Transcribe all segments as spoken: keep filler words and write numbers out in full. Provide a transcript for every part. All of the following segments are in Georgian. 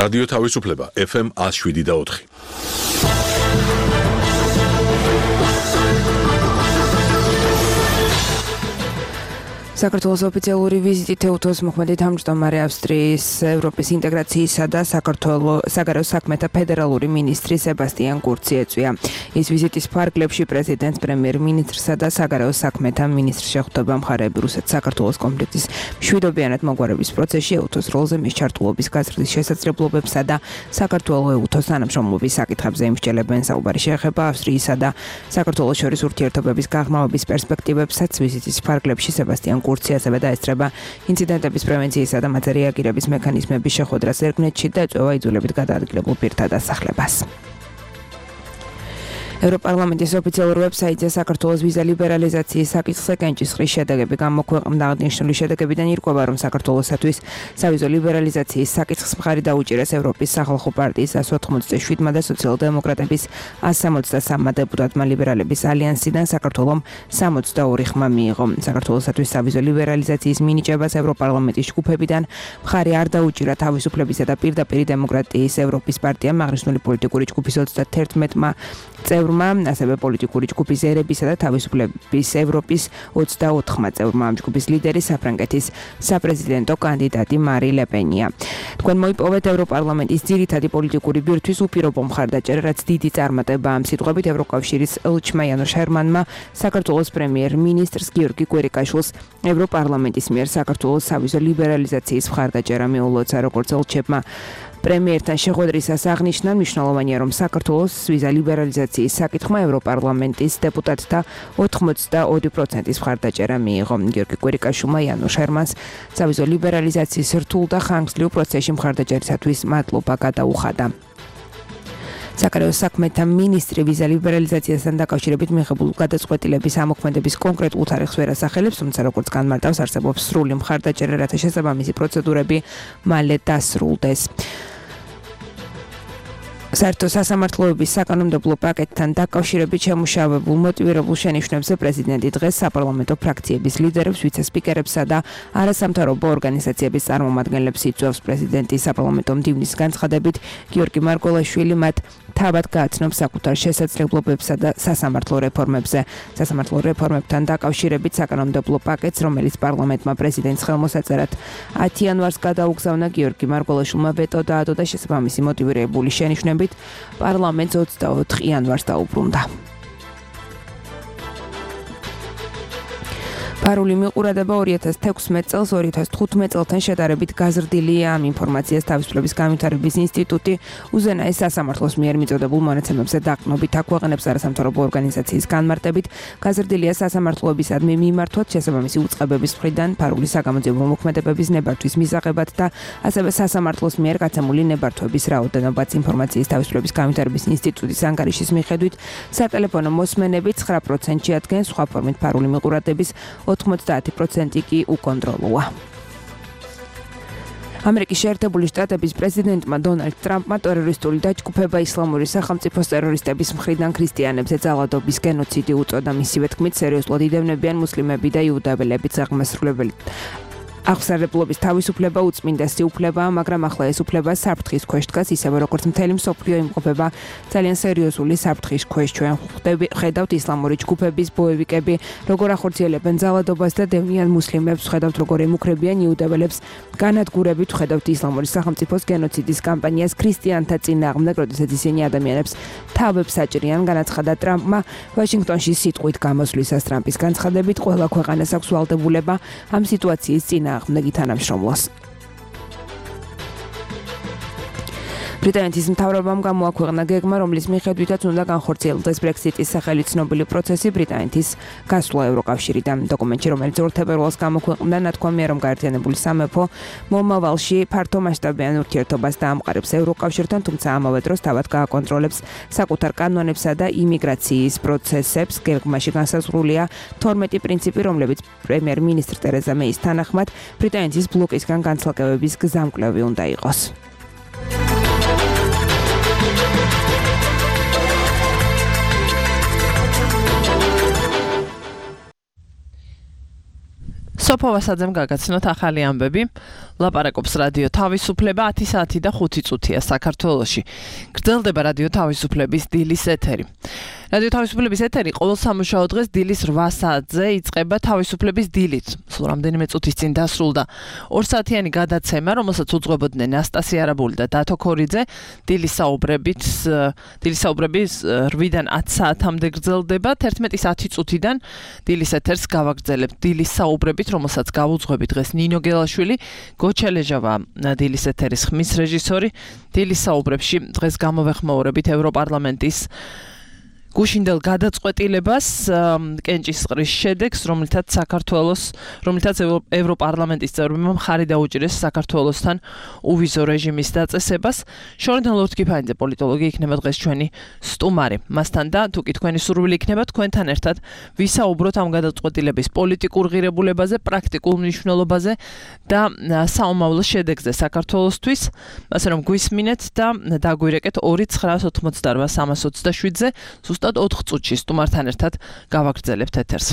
რადიო თავისუფლება ეფ ემ ათს შვიდი და ოთხი. საქართველოს ოფიციალური ვიზიტი თეუთოს მოქმედი თავმჯდომარე ავსტრიის ევროპის ინტეგრაციისა და საქართველოს საგარეო საქმეთა ფედერალური მინისტრი სებასტიან კურცი ეწვია. ის ვიზიტის ფარგლებში პრეზიდენტს, პრემიერ-მინისტრსა და საგარეო საქმეთა მინისტრს შეხვდება მხარეები რუსეთ-საქართველოს კონფლიქტის მშვიდობიანად მოგვარების პროცესში ეუთოს როლზე მის ჩართულობის გაზრდის შესაძლებლობებსა და საქართველოს-ეუთოს თანამშრომლობის საკითხებზე იმსჯელებენ. საუბარი შეეხება ავსტრიისა და საქართველოს შორის ურთიერთობების გაღრმავების პერსპექტივებსაც. ვიზიტის ფარგლებში სებასტიან კურცი ასევე დაესწრება ინციდენტების პრევენციისა და მათზე რეაგირების მექანიზმების შეხვედრას ერგნეთში და ეწევა იძულებით გადაადგილებულ პირთა დასახლებას. ევროპარლამენტის ოფიციალურ ვებსაიტზე საქართველოს ვიზა ლიბერალიზაციის საკითხზე კენჭისყრის შედეგები გამოქვეყნდა. აღნიშნული შედეგებიდან ირკვევა, რომ საქართველოსათვის სავიზო ლიბერალიზაციის საკითხს მხარი დაუჭირეს ევროპის სახალხო პარტიის ას ოთხმოცდაშვიდმა და სოციალ-დემოკრატების ას სამოცდასამმა დეპუტატმა. ლიბერალების ალიანსიდან საქართველომ სამოცდაორი ხმა მიიღო. საქართველოსათვის სავიზო ლიბერალიზაციის მინიჭებას ევროპარლამენტის ჯგუფებიდან მხარი არ დაუჭირა თავისუფლებისა და პირდაპირი დემოკრატიის ევროპის პარტიამ, აღნიშნული პოლიტიკური ჯგუფის ოცდათერთმეტმა წევრმა, ასევე პოლიტიკური ჯგუფის ერებისა და თავისუფლების ევროპის ოცდაოთხმა წევრმა. ამ ჯგუფის ლიდერი საფრანგეთის საპრეზიდენტო კანდიდატი მარი ლე-პენია. თქვენ მოიპოვეთ ევროპარლამენტის ძირითადი პოლიტიკური ბირთვის უპირობო მხარდაჭერა, რაც დიდი წარმატება. ამ სიტყვებით ევროკავშირის ელჩმა იანოშ ჰერმანმა საქართველოს პრემიერ-მინისტრს გიორგი კვერიკაშვილს ევროპარლამენტის მიერ საქართველოს სავიზო ლიბერალიზაციის მხარდაჭერა მიულოცა. როგორც ელჩებმა პრემიერთან შეხვედრისას აღნიშნა, მნიშვნელოვანია, რომ საქართველოს ვიზა ლიბერალიზაციის საკითხმა ევროპარლამენტის დეპუტატთა ოთხმოცდაორი პროცენტის მხარდაჭერა მიიღო. გიორგი კვერიკაშვილმა იანოშ ჰერმანს სავიზო ლიბერალიზაციის რთულ და ხანგრძლივ პროცესში მხარდაჭერისათვის მადლობა გადაუხადა. საგარეო საქმეთა მინისტრი ვიზა ლიბერალიზაციასთან დაკავშირებით მიღებულ გადაწყვეტილების ამოქმედების კონკრეტულ თარიღს ვერ ასახელებს, თუმცა როგორც განმარტავს, არსებობს სრული მხარდაჭერა, რათა შესაბამისი პროცედურები მალე დასრულდეს. საერთო სასამართლოების საკანონმდებლო პაკეტთან დაკავშირებით შემუშავებულ მოტივირებულ შენიშვნებზე პრეზიდენტი დღეს საპარლამენტო ფრაქციების ლიდერებს, ვიცე-სპიკერებსა და არასამთავრობო ორგანიზაციების წარმომადგენლებს იწვევს. პრეზიდენტი საპარლამენტო მდივნის განცხადებით გიორგი მარგველაშვილი მათ თავად გააცნობს საკუთარ შესაძლებლობებსა და სასამართლო რეფორმებზე. სასამართლო რეფორმებთან დაკავშირებით საკანონმდებლო პაკეტს, რომელიც პარლამენტმა პრეზიდენტს ხელმოსაწერად ათი იანვარს გადაუგზავნა, გიორგი მარგველაშვილმა ვეტო დაადო და შესაბამისი მოტივირებული შენიშვნებით პარლამენტს ოცდაოთხ იანვარს დაუბრუნდა. პარული მიყურადება ორი ათას თექვსმეტ წელს ორი ათას თხუთმეტ წელთან შედარებით გაზრდილია. ამ ინფორმაციას თავისუფლების განვითარების ინსტიტუტი უზენაეს სასამართლოს მიერ მიწოდებულ მონაცემებზე დაყრდნობით აქვეყნებს. არასამთავრობო ორგანიზაციის განმარტებით გაზრდილია სასამართლოებისადმი მიმართვად შესაბამისი უწყებების მხრიდან პარული საგამოძიებო მოქმედებების ნებართვის მისაღებად და ასევე სასამართლოს მიერ გაცემული ნებართვების რაოდენობაც. ინფორმაციის თავისუფლების განვითარების ინსტიტუტის ანგარიშის მიხედვით სატელეფონო მოსმენები ცხრა პროცენტში ადგენს, სხვა ფორმით პარული მიყურადების ოთხმოცდაათი პროცენტი კი უკონტროლოა. ამერიკის შეერთებული შტატების პრეზიდენტმა დონალდ ტრამპმა ტერორისტული დაჯგუფება ისლამური სახელმწიფოს ტერორისტების მხრიდან ქრისტიანებზე ძალადობის გენოციდი უწოდა. მისივე თქმით, სერიოზულად იდევნებიან მუსლიმები და იუდაველები აღმასრულებელი აღსარებლობის თავისუფლება უწმინდესი უფლებაა, მაგრამ ახლა ეს უფლება საფრთხის ქვეშ დგას, ისევე როგორც მთელი მსოფლიო იმყოფება ძალიან სერიოზული საფრთხის ქვეშ. ჩვენ ხედავთ ისლამური ჯგუფების ბოევიკები, როგორ ახორციელებენ ძალადობას და დევნიან მუსლიმებს, ხედავთ როგორ ემუქრებიან იუდაველებს, განადგურებით ხედავთ ისლამური სახელმწიფოს გენოციდის კამპანიას ქრისტიანთა წინააღმდეგ, როდესაც ისინი ადამიანებს თავებს აჭრიან, განაცხადა ტრამპმა ვაშინგტონში სიტყვით გამოსვლისას. ტრამპის განცხადებით ყველა ქვეყანას აქვს ვალდებულება ამ სიტუაციის წინააღმდეგ აღმდეგი თანამშრომლოს. ბრიტანეთის მთავრობამ გამოაქვეყნა გეგმა, რომლის მიხედვითაც უნდა განხორციელდეს ბრექსიტის სახელი ცნობილი პროცესი ბრიტანეთის გასვლა ევროკავშირიდან. დოკუმენტში, რომელიც ორ თებერვალს გამოქვეყნდა, ნათქვამია, რომ გაერთიანებული სამეფო მომავალში ფართომასშტაბიან ურთიერთობას დაამყარებს ევროკავშირთან, თუმცა ამავე დროს თავად გააკონტროლებს საკუთარ კანონებსა და იმიგრაციის პროცესებს. გეგმაში განსაზღვრულია თორმეტი პრინციპი, რომლებიც პრემიერ-მინისტრ ტერეზა მეის თანახმად ბრიტანეთის ბლოკისგან განცალკევების გზამკვლევი უნდა იყოს. სოფო ვასაძემ გაგაცნოთ ახალი ამბები. ლაპარაკობს რადიო თავისუფლება ათი საათი და ხუთი წუთია საქართველოში. გრძელდება რადიო თავისუფლების დილის ეთერი. რადიო თავისუფლების ეთერი ყოველ სამუშაო დღეს დილის რვა საათზე იწყება თავისუფლების დილით. სულ რამდენიმე წუთის წინ დასრულდა ორ საათიანი გადაცემა, რომელსაც უძღვებოდნენ ნასტასია არაბული და დათო ქორიძე. დილის საუბრებით, დილის საუბრების რვიდან ათ საათამდე გრძელდება. თერთმეტის ათი წუთიდან დილის ეთერს გავაგრძელებთ დილის საუბრებით, რომელსაც გავუძღვები დღეს ნინო გელაშვილი, გოჩელეჟავა დილის ეთერის ხმის რეჟისორი. დილის საუბრებში დღეს გამოვეხმაურებით ევროპარლამენტის გუშინდელ გადაწყვეტილებას კენჭისყრის შედეგს, რომლითაც საქართველოს, რომლითაც ევროპარლამენტის წევრებმა მხარი დაუჭირეს საქართველოსთან უვიზო რეჟიმის დაწესებას. შორიდან ლორთქიფანიძე პოლიტოლოგი იქნება დღეს ჩვენი სტუმარი. მასთან და თუ კი თქვენი სურვილი იქნება თქვენთან ერთად ვისაუბროთ ამ გადაწყვეტილების პოლიტიკურ ღირებულებაზე, პრაქტიკულ მნიშვნელობაზე და საომავლო შედეგზე საქართველოსთვის. ასე რომ გვისმინეთ და დაგვირეკეთ ორი ცხრა ოთხმოცდარვა სამას ოცდაშვიდზე. ზუსტად ოთხ წუთში სტუმართან ერთად გავაგრძელებთ ეთერს.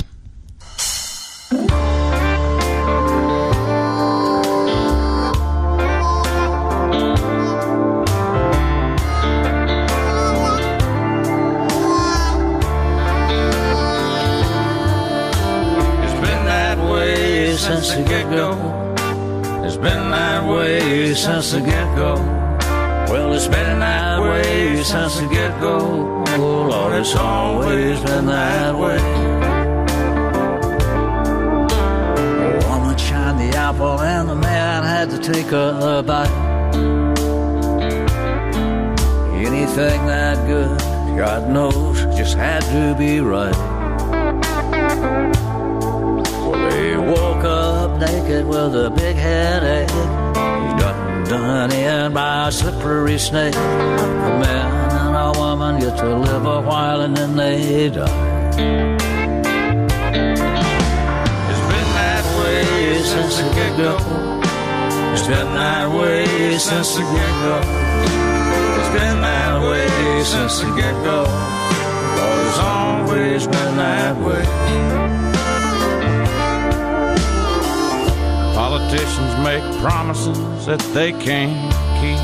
It's been that way since the get-go. It's been that way since the get-go. Well, it's been that way since the get-go. Oh, Lord, it's always been that way. A woman shined the apple and the man had to take a bite. Anything that good, God knows, just had to be right. Well, they woke up naked with a big headache. Done in by a slippery snake. A man and a woman get to live a while and then they die. It's been that way since the get-go. It's been that way since the get-go. It's been that way since the get-go. Lord, it's always been that way. Politicians make promises that they can't keep.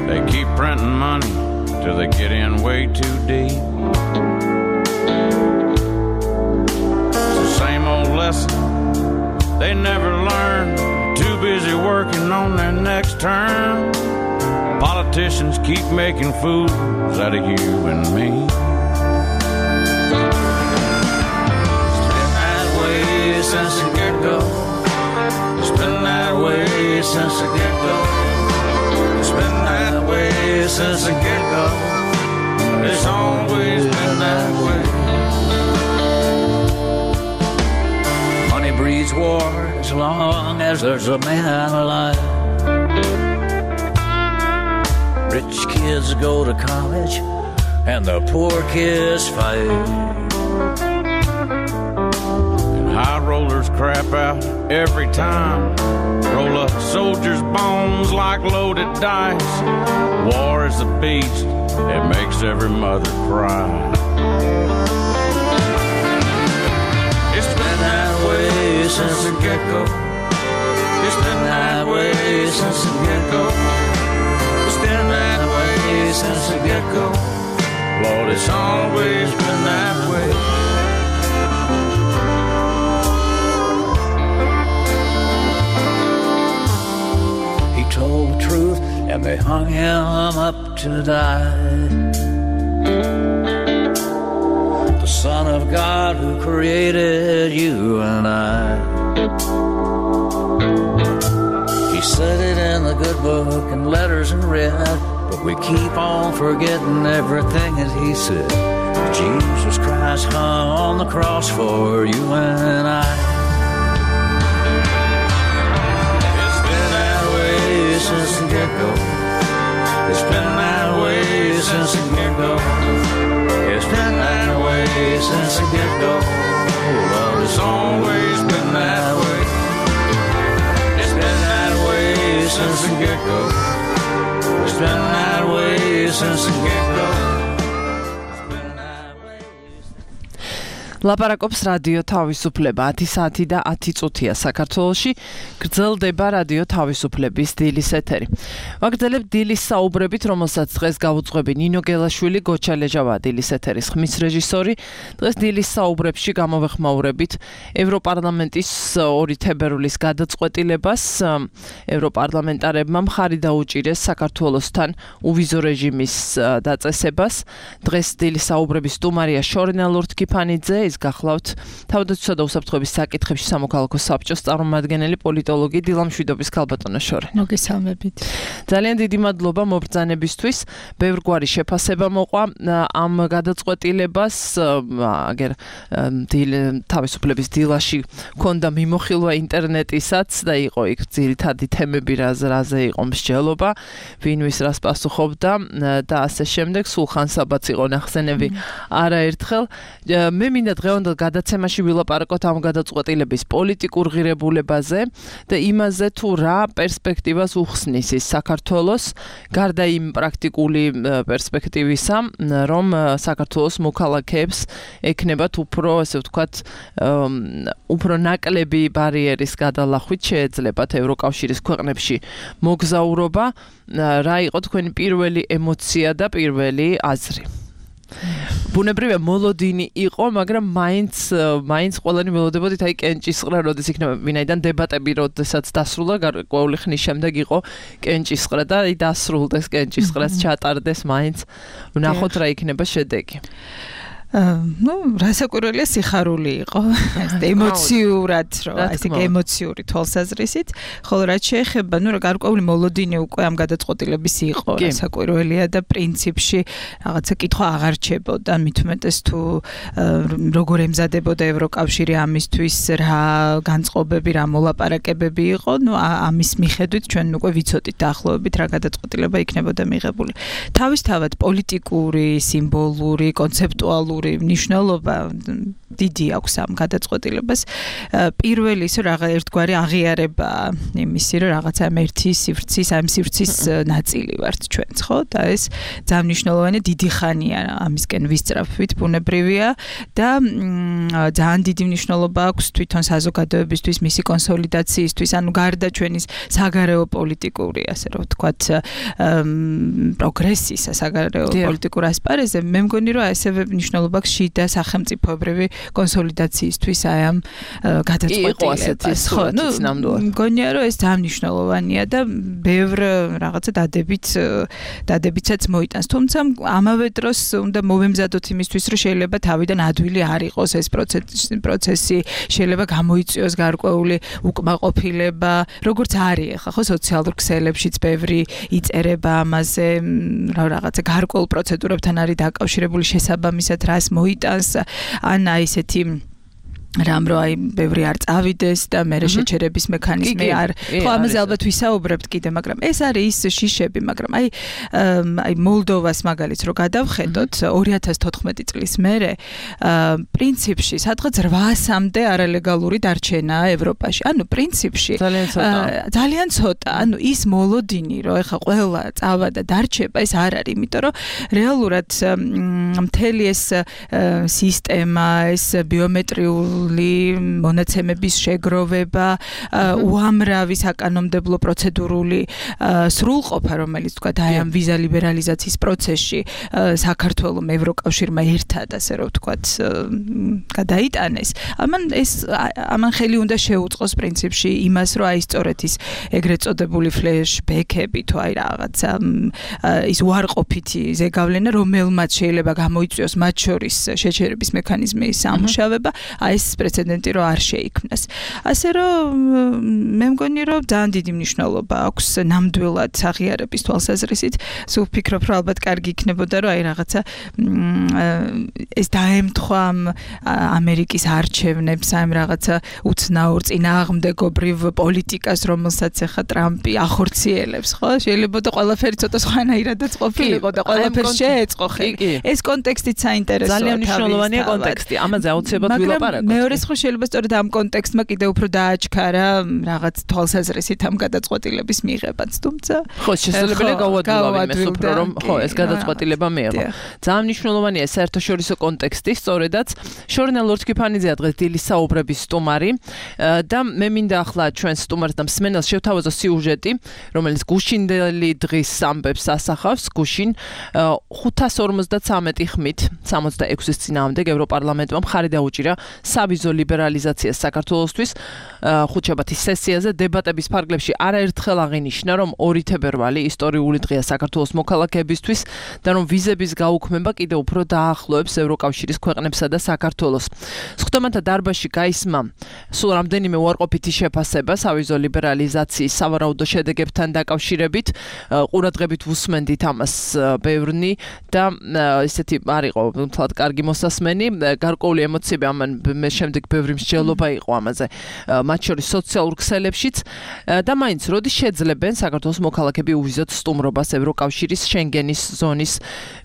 They keep printing money till they get in way too deep. It's the same old lesson they never learn. Too busy working on their next term. Politicians keep making fools out of you and me. Since the get-go, it's been that way since the get-go. It's been that way since the get-go. It's always been that way. Money breeds war as long as there's a man alive. Rich kids go to college and the poor kids fight. High rollers crap out every time. Roll up soldiers' bones like loaded dice. War is a beast, it makes every mother cry. It's been that way since the get-go. It's been that way since the get-go. It's been that way since the get-go. Lord, it's always been that way. Told the truth and they hung him up to die. The Son of God who created you and I. He said it in the good book in letters in red, but we keep on forgetting everything that he said. Jesus Christ hung on the cross for you and I. Since the get-go, it's been that way since the get-go. It's been that way since the get-go. Oh, Lord, it's always been that way. It's been that way since the get-go. It's been that way since the get-go. ლაპარაკობს რადიო თავისუფლება ათი საათი და ათი წუთია საქართველოში გრძელდება რადიო თავისუფლების დილის ეთერი. ვაგრძელებთ დილის საუბრებით, რომელსაც დღეს გაუძღვები ნინო გელაშვილი, გოჩა ლეჟავა დილის ეთერის ხმის რეჟისორი. დღეს დილის საუბრებში გამოვეხმაურებით ევროპარლამენტის ორი თებერვლის გადაწყვეტილებას. ევროპარლამენტარებმა მხარი დაუჭირეს საქართველოსთან უვიზო რეჟიმის დაწესებას. დღეს დილის საუბრების სტუმარია შორენა ლორთქიფანიძე, ის გახლავთ თავდაცვისა და უსაფრთხოების საკითხებში სამოქალაქო საბჭოს წარმომადგენელი პოლიტოლოგი დილამშვიდობის ქალბატონო შორენა. მოგესალმებით. ძალიან დიდი მადლობა მობრძანებისთვის. ბევრგვარი შეფასება მოყვა ამ გადაწყვეტილებას. აგერ თავისუფლების დილაში ქონდა მიმოხილვა ინტერნეტისაც და იყო იქ ძირითადი თემები, რაზე იყო მსჯელობა, ვინ ვის რას პასუხობდა და ასე შემდეგ. სულხან საბაც იყო ნახსენები არაერთხელ. მე მინდა დღევანდელ გადაცემაში ვილაპარაკოთ ამ გადაწყვეტილების პოლიტიკურ ღირებულებაზე და იმაზე თუ რა პერსპექტივას უხსნის ის საქართველოს, გარდა იმ პრაქტიკული პერსპექტივისა, რომ საქართველოს მოქალაქეებს ექნებათ უფრო, ასე ვთქვათ, უფრო ნაკლები ბარიერის გადალახვით შეეძლებათ ევროკავშირის ქვეყნებში მოგზაურობა. რა იყო თქვენი პირველი ემოცია და პირველი აზრი? ბუნებრივია მოლოდინი იყო, მაგრამ მაინც მაინც ყველანი ველოდებოდით აი კენჭისყრა როდის იქნება, ვინაიდან დებატები როდესაც დასრულდა გარკვეული ხნის შემდეგ იყო კენჭისყრა და აი დასრულდეს კენჭისყრას ჩატარდეს, მაინც ვნახოთ რა იქნება შედეგი. ну, რასაკვირველია სიხარული იყო, ემოციურად, რომ ესე ემოციური თვალსაზრისით, ხოლო რაც შეეხება, ну, გარკვეული მოლოდინი უკვე ამ გადაწყვეტილების იყო, რასაკვირველია და პრინციპში რაღაცა კითხვა აღარ რჩებოდა, მით უმეტეს თუ როგორ ემზადებოდა ევროკავშირი ამისთვის, რა განწყობები, რა მოლაპარაკებები იყო, ну, ამის მიხედვით ჩვენ უკვე ვიცოდით დაახლოებით რა გადაწყვეტილება იქნებოდა მიღებული. თავისთავად პოლიტიკური, სიმბოლური, კონცეპტუალური ნიშნულობა დიდი აქვს ამ გადაწყვეტილებას. პირველი ის რა ერთგვარი აღიარება იმისი, რომ რაღაცა ერთი სივრცის, ამ სივრცის ნაწილი ვართ ჩვენც, ხო? და ეს ძალიან მნიშვნელოვანი დიდი ხანია ამისკენ ვისწრაფვით, ბუნებრივია და ძალიან დიდი მნიშვნელობა აქვს თვითონ საზოგადოებისთვის, მისი კონსოლიდაციისთვის, ანუ გარდა ჩვენის საგარეო პოლიტიკური, ასე რომ ვთქვათ, პროგრესისა, საგარეო პოლიტიკურ ასპარეზზე, მე მგონი რომ ასევე მნიშვნელობა აქვს შიდა სახელმწიფოებრივი კონსოლიდაციისთვის აი ამ გადაწყვეტილებას. ხო, ну, მგონია რომ ეს ძალიან მნიშვნელოვანია და ბევრ რაღაცა დადებით დადებითაც მოიტანს. თუმცა ამავე დროს უნდა მოვემზადოთ იმისთვის, რომ შეიძლება თავიდან ადვილი არ იყოს ეს პროცესი, პროცესი შეიძლება გამოიწვიოს გარკვეული უკმაყოფილება, როგორც არის ახლა, ხო, სოციალურ ქსელებშიც ბევრი იწერება ამაზე, რა რაღაცა გარკვეულ პროცედურებთან არის დაკავშირებული შესაბამისად რას მოიტანს, ან აი ესეთი რამ რო აი ბევრი არ წავიდეს და მე შეჩერების მექანიზმი არ ხო ამაზე ალბათ ვისაუბრებთ კიდე, მაგრამ ეს არის ის შიშები, მაგრამ აი აი მოლდოვას მაგალითს რო გადავხედოთ ორი ათას თოთხმეტი წლის მერე პრინციპში სადღაც რვასამდე არალეგალური დარჩენაა ევროპაში. ანუ პრინციპში ძალიან ცოტა, ანუ ის მოლოდინი რო ეხა ყველა წავა და დარჩება, ეს არ არის, იმიტომ რომ რეალურად მთელი ეს სისტემა, ეს ბიომეტრიული მონაცემების შეგროვება, უამრავი საკანონმდებლო პროცედურული სრულყოფა, რომელიც თქვა აი ამ ვიზა ლიბერალიზაციის პროცესში საქართველოს ევროკავშირმა ერთად, ასე რომ ვთქვათ, გადაიტანეს. ამან ეს ამან ხელი უნდა შეუწყოს პრინციპში იმას, რომ აი სწორედ ის ეგრეთ წოდებული ფლეშბექები თუ აი რაღაცა ის უარყოფითი ზეგავლენა, რომელმაც შეიძლება გამოიწვიოს მათ შორის შეჩერების მექანიზმის სამუშავება, აი ეს პრეცედენტი რო არ შეიქმნას. ასე რომ მე მგონი რომ ძალიან დიდი მნიშვნელობა აქვს ნამდვილად აღიარების თვალსაზრისით. სულ ვფიქრობ, რომ ალბათ კარგი იქნებოდა, რომ აი რაღაცა ეს დაემთხვა ამერიკის არჩევნებს, აი რაღაცა უცნაურ წინააღმდეგობრივ პოლიტიკას, რომელსაც ახლა ტრამპი ახორციელებს, ხო? შეიძლება და ყველაფერი ცოტა სხვანაირადაც ყოფილიყო და ყველაფერს შეეწყო ხელი. ეს კონტექსტიც საინტერესოა. ძალიან მნიშვნელოვანია კონტექსტი. ამაზე აუცილებლად ვილაპარაკოთ. მე მეორეს ხო შეიძლება სწორედ ამ კონტექსტმა კიდევ უფრო დააჩქარა რაღაც თვალსაზრისით ამ გადაწყვეტილების მიღებაც, თუმცა ხო, შესაძლებელია გავადვილავ იმას უფრო რომ ხო, ეს გადაწყვეტილება მიიღო. ძალიან მნიშვნელოვანია საერთაშორისო კონტექსტი, სწორედაც შორენა ლორდ კიფანიძეა დღეს დილის საუბრების სტუმარი და მე მინდა ახლა ჩვენ სტუმარს და მსმენელს შევთავაზო სიუჟეტი, რომელიც გუშინდელი დღის ამბებს ასახავს. გუშინ ხუთას ორმოცდათვრამეტი ხმით სამოცდაექვსის წინააღმდეგ ევროპარლამენტმა მხარი დაუჭირა სავიზო ლიბერალიზაციას საქართველოსთვის. ხუთშაბათის სესიაზე დებატების ფარგლებში არაერთხელ აღინიშნა, რომ ორი თებერვალი ისტორიული დღეა საქართველოს მოქალაქეებისთვის და რომ ვიზების გაუქმება კიდევ უფრო დაახლოებს ევროკავშირის ქვეყნებსა და საქართველოს. სხდომათა დარბაზში გაისმა სულ რამდენიმე უარყოფითი შეფასება სავიზო ლიბერალიზაციის სავარაუდო შედეგებთან დაკავშირებით. ყურადღებით ვუსმენდით ამას ბევრნი და ესეთი არ იყო თლად კარგი მოსასმენი, გარკვეული ემოციები ამან მე შემდეგ ბევრი მსჯელობა იყო ამაზე. მათ შორის სოციალურ ქსელებშიც და მაინც როდის შეძლებენ საქართველოს მოქალაქეები უვიზოთ სტუმრობას ევროკავშირის შენგენის ზონის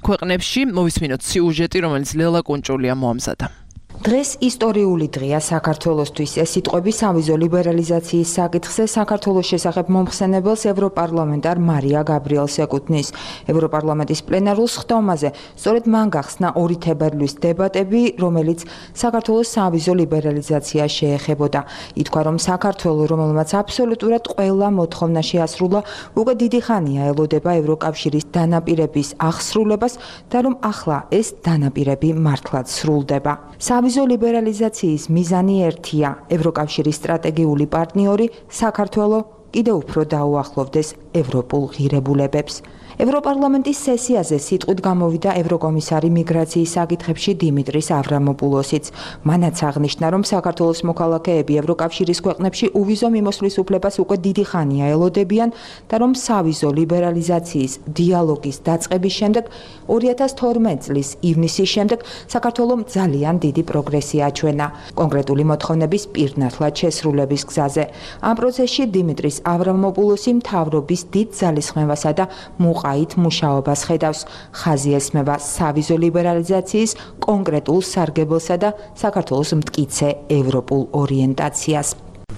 ქვეყნებში. მოვისმინოთ სიუჟეტი, რომელიც ლელა კუნჭულია მოამზადა. დღეს ისტორიული დღეა საქართველოსთვის. ეს სიტყვები სავიზო ლიბერალიზაციის საკითხზე საქართველოს შესახებ მომხსენებელს ევროპარლამენტარ მარია გაბრიელს ეკუთვნის. ევროპარლამენტის პლენარულ სხდომაზე სწორედ მან გახსნა ორი თებერვლის დებატები, რომელიც საქართველოს სავიზო ლიბერალიზაციას შეეხებოდა. ითქვა, რომ საქართველო, რომელმაც აბსოლუტურად ყველა მოთხოვნა შეასრულა, უკვე დიდი ხანია ელოდება ევროკავშირის დანაპირების აღსრულებას და რომ ახლა ეს დანაპირები მართლაც სრულდება. სავიზო ლიბერალიზაციის მიზანი ერთია, ევროკავშირის სტრატეგიული პარტნიორი საქართველო კიდევ უფრო დაუახლოვდეს ევროპულ ღირებულებებს. ევროპარლამენტის სესიაზე სიტყვით გამოვიდა ევროკომისარი მიგრაციის საკითხებში დიმიტრის ავრამოპულოსიც. მანაც აღნიშნა, რომ საქართველოს მოქალაქეები ევროკავშირის ქვეყნებში უვიზო მიმოსვლის უფლებას უკვე დიდი ხანია ელოდებიან და რომ სავიზო ლიბერალიზაციის დიალოგის დაწყების შემდეგ ორი ათას თორმეტი წლის ივნისის შემდეგ საქართველომ ძალიან დიდი პროგრესი აჩვენა კონკრეტული მოთხოვნების პირნათლად შესრულების გზაზე. ამ პროცესში დიმიტრის ავრამოპულოსი მთავრობის დიდ ძალისხმევასა და მუყაით მუშაობას ხედავს. ხაზი ესმება სავიზო ლიბერალიზაციის კონკრეტულ სარგებელსა და საქართველოს მტკიცე ევროპულ ორიენტაციას.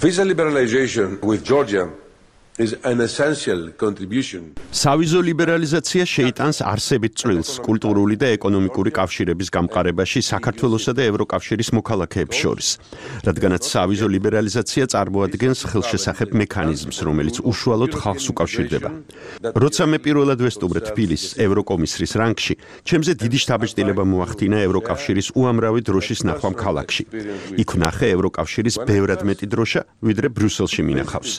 Visa liberalization with Georgia is an essential contribution. სავიზო ლიბერალიზაცია შეიტანს არსებით წვლილს კულტურული და ეკონომიკური კავშირების გამყარებაში საქართველოსა და ევროკავშირის მოქალაქეებს შორის. რადგანაც სავიზო ლიბერალიზაცია წარმოადგენს ხელშესახებ მექანიზმს, რომელიც უშუალოდ ხალხს უკავშირდება. როცა მე პირველად ვესტუმრე თბილისს ევროკომისრის რანგში, ჩემზე დიდი შთაბეჭდილება მოახდინა ევროკავშირის უამრავი დროშის ნახვამ ქალაქში. იქ ვნახე ევროკავშირის ბევრად მეტი დროშა, ვიდრე ბრიუსელში მინახავს.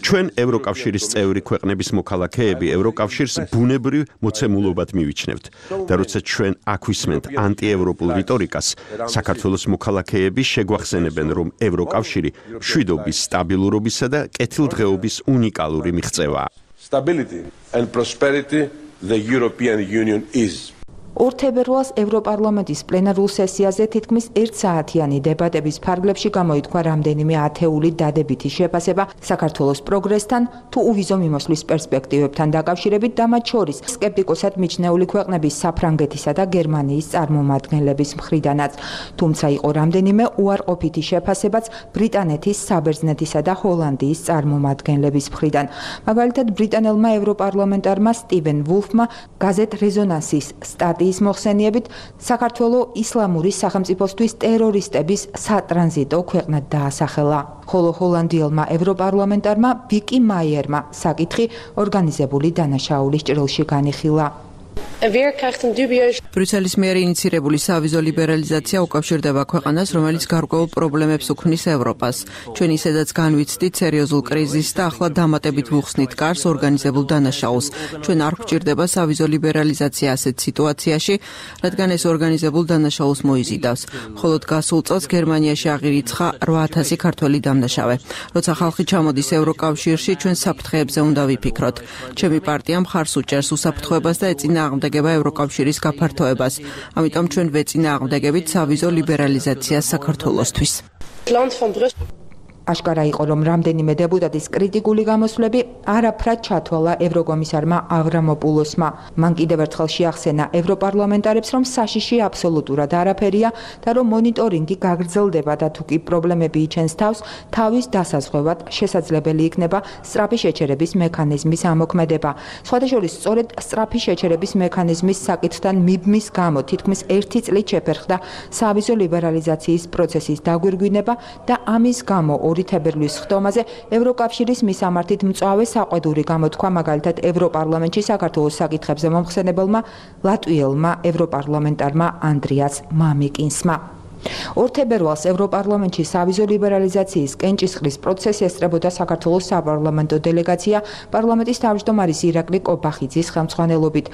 ჩვენ ევროკავშირის წევრი ქვეყნების მოქალაქეები ევროკავშირს ბუნებრივ მოცემულობად მივიჩნევთ და როცა ჩვენ აქ ვისმენთ ანტიევროპულ რიტორიკას, საქართველოს მოქალაქეები შეგვახსენებენ, რომ ევროკავშირი მშვიდობის, სტაბილურობისა და კეთილდღეობის უნიკალური მიღწევაა. Stability and prosperity the European Union is. ორ თებერვალს ევროპარლამენტის პლენარულ სესიაზე თითქმის ერთსაათიანი დებატების ფარგლებში გამოითქვა რამდენიმე ათეული დადებითი შეფასება საქართველოს პროგრესთან თუ უვიზო მიმოსვლის პერსპექტივებთან დაკავშირებით და მათ შორის სკეპტიკოსად მიჩნეული ქვეყნების საფრანგეთისა და გერმანიის წარმომადგენლების მხრიდანაც. თუმცა იყო რამდენიმე უარყოფითი შეფასებაც ბრიტანეთის, საბერძნეთისა და ჰოლანდიის წარმომადგენლების მხრიდან. მაგალითად, ბრიტანელმა ევროპარლამენტარმა სტივენ ვულფმა გაზეთ რეზონანსის სტატიის ის მოხსენიებით საქართველო ისლამური სახელმწიფოსთვის ტერორისტების სატრანზიტო ქვეყნად დაასახელა. ხოლო ჰოლანდიელმა ევროპარლამენტარმა ვიკი მაიერმა საკითხი ორგანიზებული დანაშაულის ჭრილში განიხილა. ბრიუსელის მიერ ინიცირებული სავიზო ლიბერალიზაცია უკავშირდება ქვეყანას, რომელიც გარკვეულ პრობლემებს უქმნის ევროპას. ჩვენ ისედაც განვიცდით სერიოზულ კრიზისს და ახლა დამატებით ვუხსნით კარს ორგანიზებულ დანაშაულს. ჩვენ არ გვჭირდება სავიზო ლიბერალიზაცია ასეთ სიტუაციაში, რადგან ეს ორგანიზებულ დანაშაულს მოიზიდავს. მხოლოდ გასულ წელს გერმანიაში აღირიცხა რვა ათასი ქართველი დამნაშავე. როცა ხალხი ჩამოდის ევროკავშირში, ჩვენ საფრთხეებზე უნდა ვიფიქროთ. ჩემი პარტია მხარს უჭერს უსაფრთხოებას და ეწინააღმდეგება ევროკავშირის გაფართოებას. ამიტომ ჩვენ ვეწინააღმდეგებით სავიზო ლიბერალიზაციას საქართველოსთვის. აშკარა იყო, რომ რამდენიმე დეპუტატის კრიტიკული გამოსვლები არაფრად ჩათვალა ევროკომისარმა ავრამოპულოსმა. მან კიდევ ერთხელ შეახსენა ევროპარლამენტარებს, რომ საშიში აბსოლუტურად არაფერია და რომ მონიტორინგი გაგრძელდება და თუ კი პრობლემები იჩენს თავს, თავის დასაზღვევად შესაძლებელი იქნება სწრაფი შეჩერების მექანიზმის ამოქმედება. სხვადასხვა სწორედ სწრაფი შეჩერების მექანიზმის საკითხთან მიბმის გამო თითქმის ერთი წლით შეფერხდა სავიზო ლიბერალიზაციის პროცესის დაგვირგვინება და ამის გამო ორი თებერვლის ხდომაზე ევროკავშირის მისამართით მწვავე საყვედური გამოთქვა მაგალითად ევროპარლამენტში საქართველოს საკითხებზე მომხსენებელმა ლატვიელმა ევროპარლამენტარმა ანდრიას მამიკინსმა. ორ თებერვალს ევროპარლამენტში სავიზო ლიბერალიზაციის კენჭისყრის პროცესი ესწრებოდა საქართველოს საპარლამენტო დელეგაცია პარლამენტის თავმჯდომარის ირაკლი კობახიძის ხელმძღვანელობით.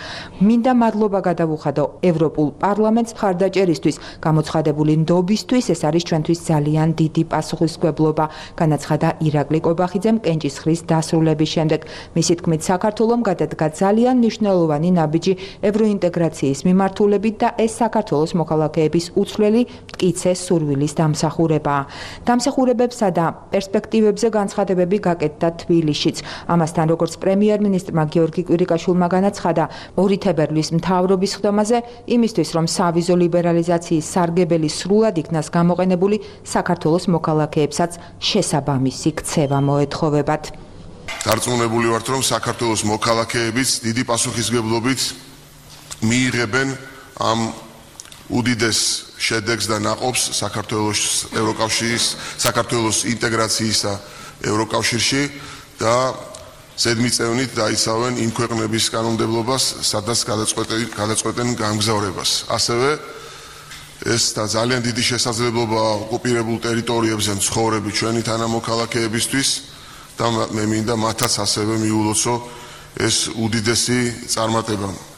მინდა მადლობა გადავუხადო ევროპულ პარლამენტს მხარდაჭერისთვის, გამოცხადებული ნდობისთვის, ეს არის ჩვენთვის ძალიან დიდი პასუხისმგებლობა, განაცხადა ირაკლი კობახიძემ კენჭისყრის დასრულების შემდეგ. მისი თქმით, საქართველომ გადადგა ძალიან მნიშვნელოვანი ნაბიჯი ევროინტეგრაციის მიმართულებით და ეს საქართველოს მოქალაქეების უცვლელი მტკიცე სურვილის დამსახურებაა. დამსახურებებსა და პერსპექტივებზე განცხადებები გაკეთდა თბილისშიც. ამასთან, როგორც პრემიერ-მინისტრმა გიორგი კვირიკაშვილმა განაცხადა, ორი თებერვლის მთავრობის ხდომაზე იმისთვის, რომ სავიზო ლიბერალიზაციის სარგებელი სრულად იქნას გამოყენებული, საქართველოს მოქალაქეებსაც შესაბამისი ქცევა მოეთხოვებათ. დარწმუნებული ვართ, რომ საქართველოს მოქალაქეებიც დიდი პასუხისმგებლობით მიიღებენ ამ უდიდეს შედეგს და ნაყოფს საქართველოს ევროკავშირის საქართველოს ინტეგრაციისა ევროკავშირში და ზედმიწევნით დაიცავენ იმ ქვეყნების კანონმდებლობას, სადაც გადაწყვეტენ გამგზავრებას. ასევე ეს და ძალიან დიდი შესაძლებლობა ოკუპირებულ ტერიტორიებზე მცხოვრები ჩვენი თანამოქალაქეებისთვის და მე მინდა მათაც ასევე მიულოცო ეს უდიდესი წარმატება.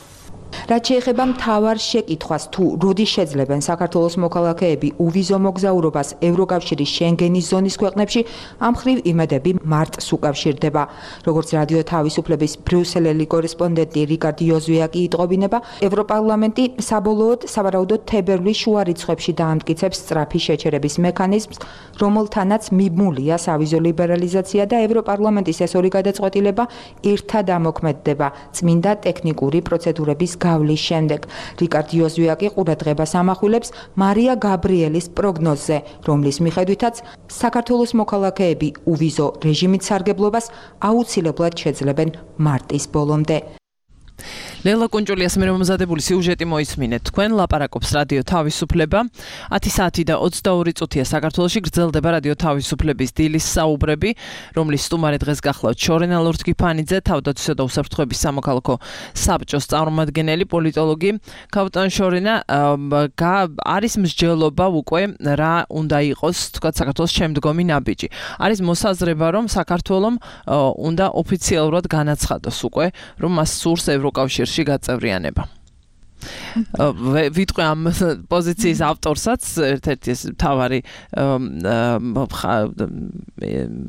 რაც შეეხება მთავარ შეკითხვას, თუ როდის შეძლებენ საქართველოს მოქალაქეები უვიზო მოგზაურობას ევროკავშირის შენგენის ზონის ქვეყნებში, ამ ხრივ იმედები მარტს უკავშირდება. როგორც რადიო თავისუფლების ბრიუსელელი კორესპონდენტი რიკარდ იოზვიაკი იტყობინება, ევროპარლამენტი საბოლოოდ სავარაუდოდ თებერვლის შუა რიცხვებში დაამტკიცებს სწრაფი შეჩერების მექანიზმს, რომელთანაც მიბმულია სავიზო ლიბერალიზაცია და ევროპარლამენტის ეს ორი გადაწყვეტილება ერთად ამოქმედდება წმინდა ტექნიკური პროცედურების გავლის შემდეგ. რიკარდ იოზვიაკი ყურადღებას ამახვილებს მარია გაბრიელის პროგნოზზე, რომლის მიხედვითაც საქართველოს მოქალაქეები უვიზო რეჟიმით სარგებლობას აუცილებლად შეძლებენ მარტის ბოლომდე. ლელა კუნჭულიას მე მომზადებული სიუჟეტი მოისმინეთ. თქვენ ლაპარაკობს რადიო თავისუფლება. ათი საათი და ოცდაორი წუთია საქართველოში გრძელდება რადიო თავისუფლების დილის საუბრები, რომლის სტუმარი დღეს გახლავთ შორენა ლორთგიფანიძე, თავდაცვისა და უსაფრთხოების სამოქალაქო საბჭოს წარმომადგენელი პოლიტოლოგი. ქავტან შორენა არის მსჯელობა უკვე რა უნდა იყოს, თქვათ საქართველოს შემდგომი ნაბიჯი. არის მოსაზრება, რომ საქართველომ უნდა ოფიციალურად განაცხადოს უკვე, რომ მას სურს ევროკავშირში გაწევრიანება. ვიტყვი ამ პოზიციის ავტორსაც, ერთ-ერთი ეს მთავარი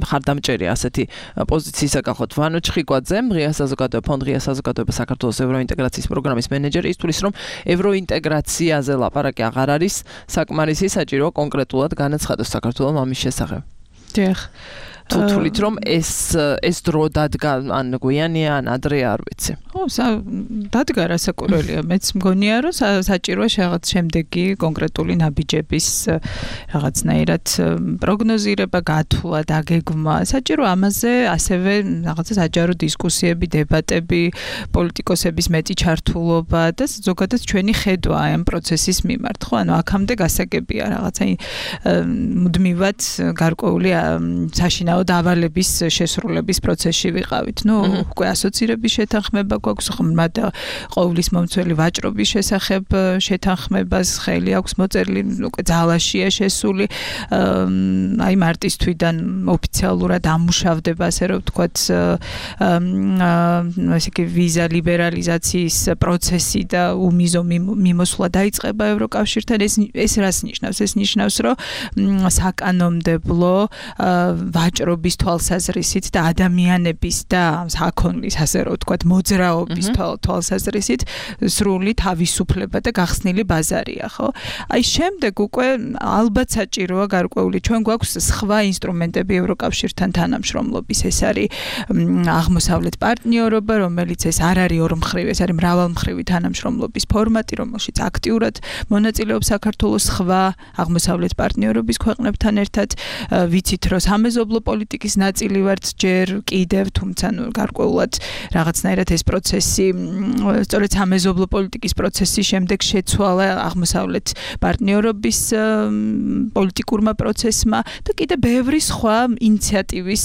მხარდამჭერი ასეთი პოზიციისა გახლავთ ვანო ჩხიკვაძე, ღია საზოგადოება ფონდ ღია საზოგადოება საქართველოს ევროინტეგრაციის პროგრამის მენეჯერი, ის თulis რომ ევროინტეგრაციაზე ლაპარაკი აღარ არის საკმარისი, საჭიროა კონკრეტულად განაცხადოს საქართველოს ამის შესახებ. დიახ. თუ თulit რომ ეს ეს დრო დადგა ან გვიანია ან ადრე არ ვიცი. ხო, დადგა რასაკურველია. მეც მგონია რომ საჭიროა რაღაც შემდეგი კონკრეტული ნაბიჯების რაღაცნაირად პროგნოზირება, გათვლა, დაგეგმა. საჭირო ამაზე ასევე რაღაცა საჯარო დისკუსიები, დებატები, პოლიტიკოსების მეტი ჩართულობა და ზოგადად ჩვენი ხედვა ამ პროცესის მიმართ. ხო, ანუ აქამდე გასაგებია რაღაცა მუდმივად გარკვეული საშინა დავალების შესრულების პროცესში ვიყავით. ნუ უკვე ასოცირების შეთანხმება გვაქვს, ხმად ყოვლის მომცველი ვაჭრობის შესახებ შეთანხმებას ხელი აქვს მოწერილი, უკვე ძალაშია შესული. აი მარტის თვიდან ოფიციალურად ამუშავდება, ასე რომ ვთქვათ, ასე იგი ვიზა ლიბერალიზაციის პროცესი და უმიზო მიმოსვლა დაიწყება ევროკავშირთან. ეს ეს რას ნიშნავს? ეს ნიშნავს, რომ საკანონმდებლო ვაჭრობა ვაჭრობის თვალსაზრისით და ადამიანების და საქონლის ასე რომ ვთქვათ მოძრაობის თვალსაზრისით სრული თავისუფლება და გახსნილი ბაზარია, ხო? აი შემდეგ უკვე ალბათ საჭიროა გარკვეული ჩვენ გვაქვს სხვა ინსტრუმენტები ევროკავშირთან თანამშრომლობის, ეს არის აღმოსავლეთ პარტნიორობა, რომელიც ეს არ არის ორმხრივი, ეს არის მრავალმხრივი თანამშრომლობის ფორმატი, რომელშიც აქტიურად მონაწილეობს საქართველოს სხვა აღმოსავლეთ პარტნიორობის ქვეყნებთან ერთად. ვიცით, რომ სამეზობლო პოლიტიკის ნაწილი ვართ ჯერ კიდევ, თუმცა ნუ გარკვეულად რაღაცნაირად ეს პროცესი, სწორედ სამეზობლო პოლიტიკის პროცესის შემდეგ შეცვალა აღმოსავლეთ პარტნიორობის პოლიტიკურმა პროცესმა და კიდევ ბევრი სხვა ინიციატივის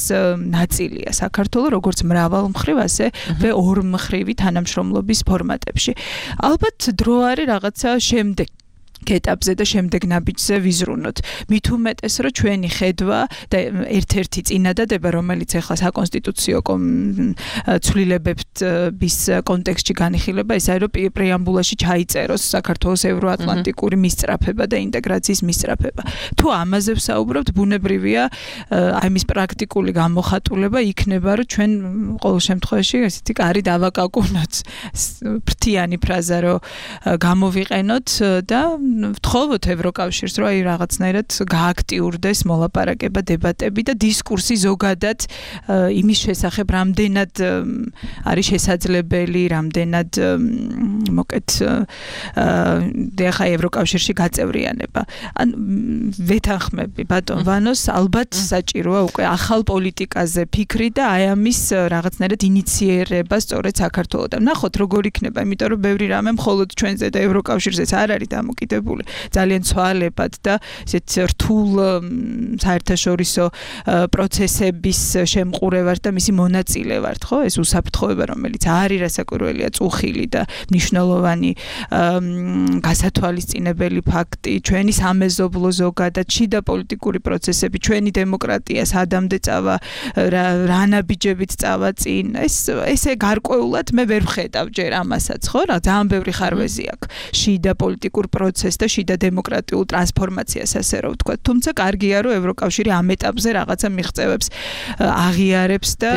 ნაწილია საქართველოს, როგორც მრავალმხრივ, ასე და ორმხრივი თანამშრომლობის ფორმატებში. ალბათ დრო არის რაღაცა შემდეგ ეტაპზე და შემდეგ ნაბიჯზე ვიზრუნოთ. მით უმეტეს, რომ ჩვენი ხედვა და ერთ-ერთი წინადადება, რომელიც ახლა საკონსტიტუციო ცვლილებების კონტექსტში განიხილება, ეს არის, რომ პრეამბულაში ჩაიწეროს საქართველოს ევროატლანტიკური მისწრაფება და ინტეგრაციის მისწრაფება. თუ ამაზე ვსაუბრობთ, ბუნებრივია, აი მის პრაქტიკული გამოხატულება იქნება, რომ ჩვენ ყოველ შემთხვევაში ესეთი კარი დავაკაკუნოთ. ფრთიანი ფრაზა რომ გამოვიყენოთ და ვთხოვოთ ევროკავშირს, რომ აი რაღაცნაირად გააქტიურდეს მოლაპარაკება, დებატები და დისკურსი ზოგადად იმის შესახებ, რამდენად არის შესაძლებელი, რამდენად მოკეთ ახლა ევროკავშირში გაწევრიანება. ან ვეთანხმები ბატონ ვანოს, ალბათ საჭიროა უკვე ახალ პოლიტიკაზე ფიქრი და აი ამის რაღაცნაირად ინიციერება სწორედ საქართველოსთან. ნახოთ როგორ იქნება, იმიტომ რომ ბევრი რამე მხოლოდ ჩვენზე და ევროკავშირზეც არ არის დამოკიდებული. ძალიან ცვალებად და ესეთ რთულ საერთაშორისო პროცესების შემყურე ვართ და მისი მონაწილე ვართ, ხო? ეს უსაფრთხოება, რომელიც არის რასაკვირველია წუხილი და მნიშვნელოვანი გასათვალისწინებელი ფაქტი, ჩვენი სამეზობლო ზოგადად შიდა პოლიტიკური პროცესები, ჩვენი დემოკრატია სადამდე წავა, რა ნაბიჯებით წავა წინ, ეს ესე გარკვეულად მე ვერ ვხედავ ჯერ ამასაც, ხო? რა ძალიან ბევრი ხარვეზი აქვს შიდა პოლიტიკურ პროცესს და შიდა დემოკრატიულ ტრანსფორმაციას, ასე რომ ვთქვათ. თუმცა კარგია, რომ ევროკავშირი ამ ეტაპზე რაღაცა მიღწევებს აღიარებს და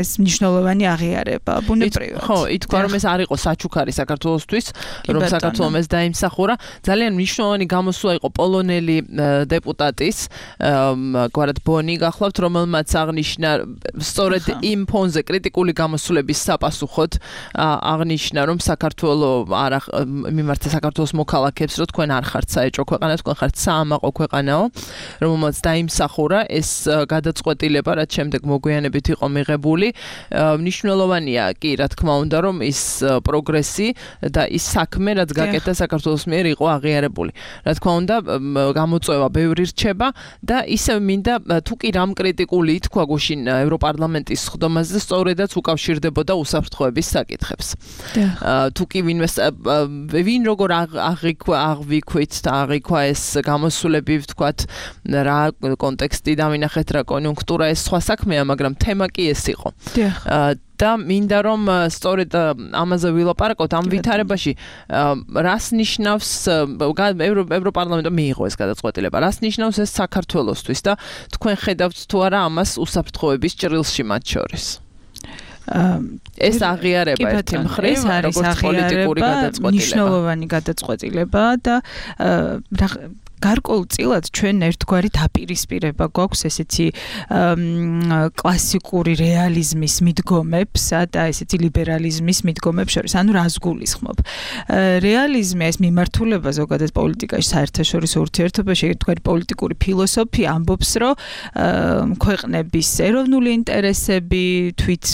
ეს მნიშვნელოვანი აღიარება. ბუნებრივად. ხო, ითქვა, რომ ეს არ იყო საჩუქარი საქართველოსთვის, რომ საქართველოს ეს დაიმსახურა. ძალიან მნიშვნელოვანი გამოსვლა იყო პოლონელი დეპუტატის, გვარად ბონი გახლავთ, რომელმაც აღნიშნა სწორედ იმ ფონზე კრიტიკული გამოსვლების საპასუხოდ აღნიშნა, რომ საქართველოს არ მიმართა საქართველოს მოქალაქეებს, რომ თქვენ არ ხართ საეჭვო ქვეყანა, თქვენ ხართ საამაყო ქვეყანაო, რომელმაც დაიმსახურა ეს გადაწყვეტილება, რაც შემდეგ მოგვიანებით იყო მიღებული. მნიშვნელოვანია კი, რა თქმა უნდა, რომ ის პროგრესი და ის საქმე, რაც გაკეთდა საქართველოს მიერ იყო აღიარებული. რა თქმა უნდა, გამოწვევა ბევრი რჩება და ისევ მინდა თუ კი რამ კრიტიკული ითქვა გუშინ ევროპარლამენტის ხდომაზე, სწორედაც უკავშირდებოდა უსაფრთხოების საკითხებს. თუ კი ვინმე ვინ როგორ აღიქვა აღვიქვით და აღიქვა ეს გამოსვლები, ვთქვათ, რა კონტექსტი დავინახეთ, რა კონიუნქტურა, ეს სხვა საქმეა, მაგრამ თემა კი ეს იყო. და მინდა რომ სწორედ ამაზე ვილაპარაკოთ ამ ვითარებაში, რას ნიშნავს ევროპარლამენტმა მიიღო ეს გადაწყვეტილება, რას ნიშნავს ეს საქართველოსთვის და თქვენ ხედავთ თუ არა ამას უსაფრთხოების ჭრილში მათ შორის? ეს აღიარება ერთი მხრივ, როგორც პოლიტიკური გადაწყვეტილება. მნიშვნელოვანი გადაწყვეტილება და გარკვეულწილად ჩვენ ერთგვარი დაპირისპირება გვაქვს ესეთი კლასიკური რეალიზმის მიდგომებსა და ესეთი ლიბერალიზმის მიდგომებს შორის. ანუ რას გულისხმობ? რეალიზმი ეს მიმართულება ზოგადად პოლიტიკაში, საერთაშორისო ურთიერთობაში, ერთგვარი პოლიტიკური ფილოსოფია ამბობს, რომ ქვეყნების ეროვნული ინტერესები, თვით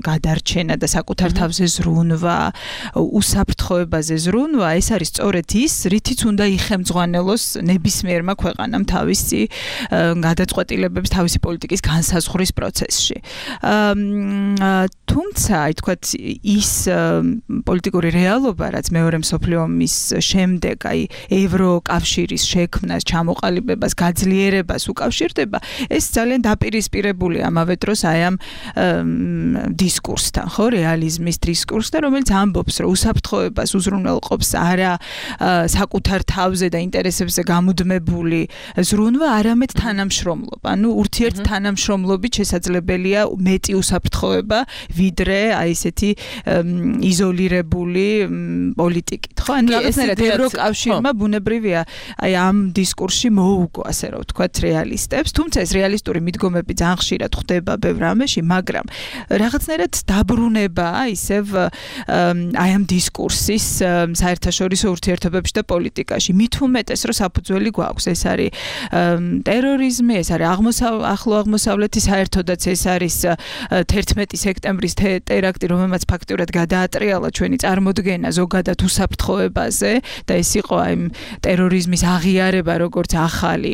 გადარჩენა და საკუთარ თავზე ზრუნვა, უსაფრთხოებაზე ზრუნვა, ეს არის სწორედ ის, რითიც უნდა იხემძღვანელოს ნებისმიერმა ქვეყანამ თავისი გადაწყვეტილებების, თავისი პოლიტიკის განსაზღვრის პროცესში. თუმცა, აი თქვათ, ის პოლიტიკური რეალობა, რაც მეორე მსოფლიო ომის შემდეგ, აი ევროკავშირის შექმნას, ჩამოყალიბებას, გაძლიერებას უკავშირდება, ეს ძალიან დაპირისპირებული ამავე დროს აი ამ დისკურსთან, ხო, რეალიზმის დისკურსთან, რომელიც ამბობს, რომ უსაფრთხოებას უზრუნველყოფს არა საკუთარ თავზე და ინტერესებზე გამუდმებული ზრუნვა, არამედ თანამშრომლობა. ანუ ურთიერთ თანამშრომლობით შესაძლებელია მეტი უსაფრთხოება, ვიდრე აი ესეთი იზოლირებული პოლიტიკით. ხო, ანუ რაღაცნაირად ევროკავშირმა ბუნებრივია აი ამ დისკურსში მოუგო, ასე რომ ვთქვათ, რეალისტებს, თუმცა ეს რეალისტური მიდგომები ძალიან ხშირად ხდება ბევრ რამეში, მაგრამ რაღაცნაირად დაბრუნება ისევ აი ამ დისკურსის საერთაშორისო ურთიერთობებში და პოლიტიკაში. მით უმეტეს, რომ საფუძველი გვაქვს, ეს არის ტერორიზმი, ეს არის ახლო აღმოსავლეთი, საერთოდაც ეს არის თერთმეტი სექტემბრის ტერაქტი, რომელმაც ფაქტიურად გადაატრიალა ჩვენი წარმოდგენა ზოგადად უსაფრთხოებაზე და ეს იყო აი ტერორიზმის აღიარება როგორც ახალი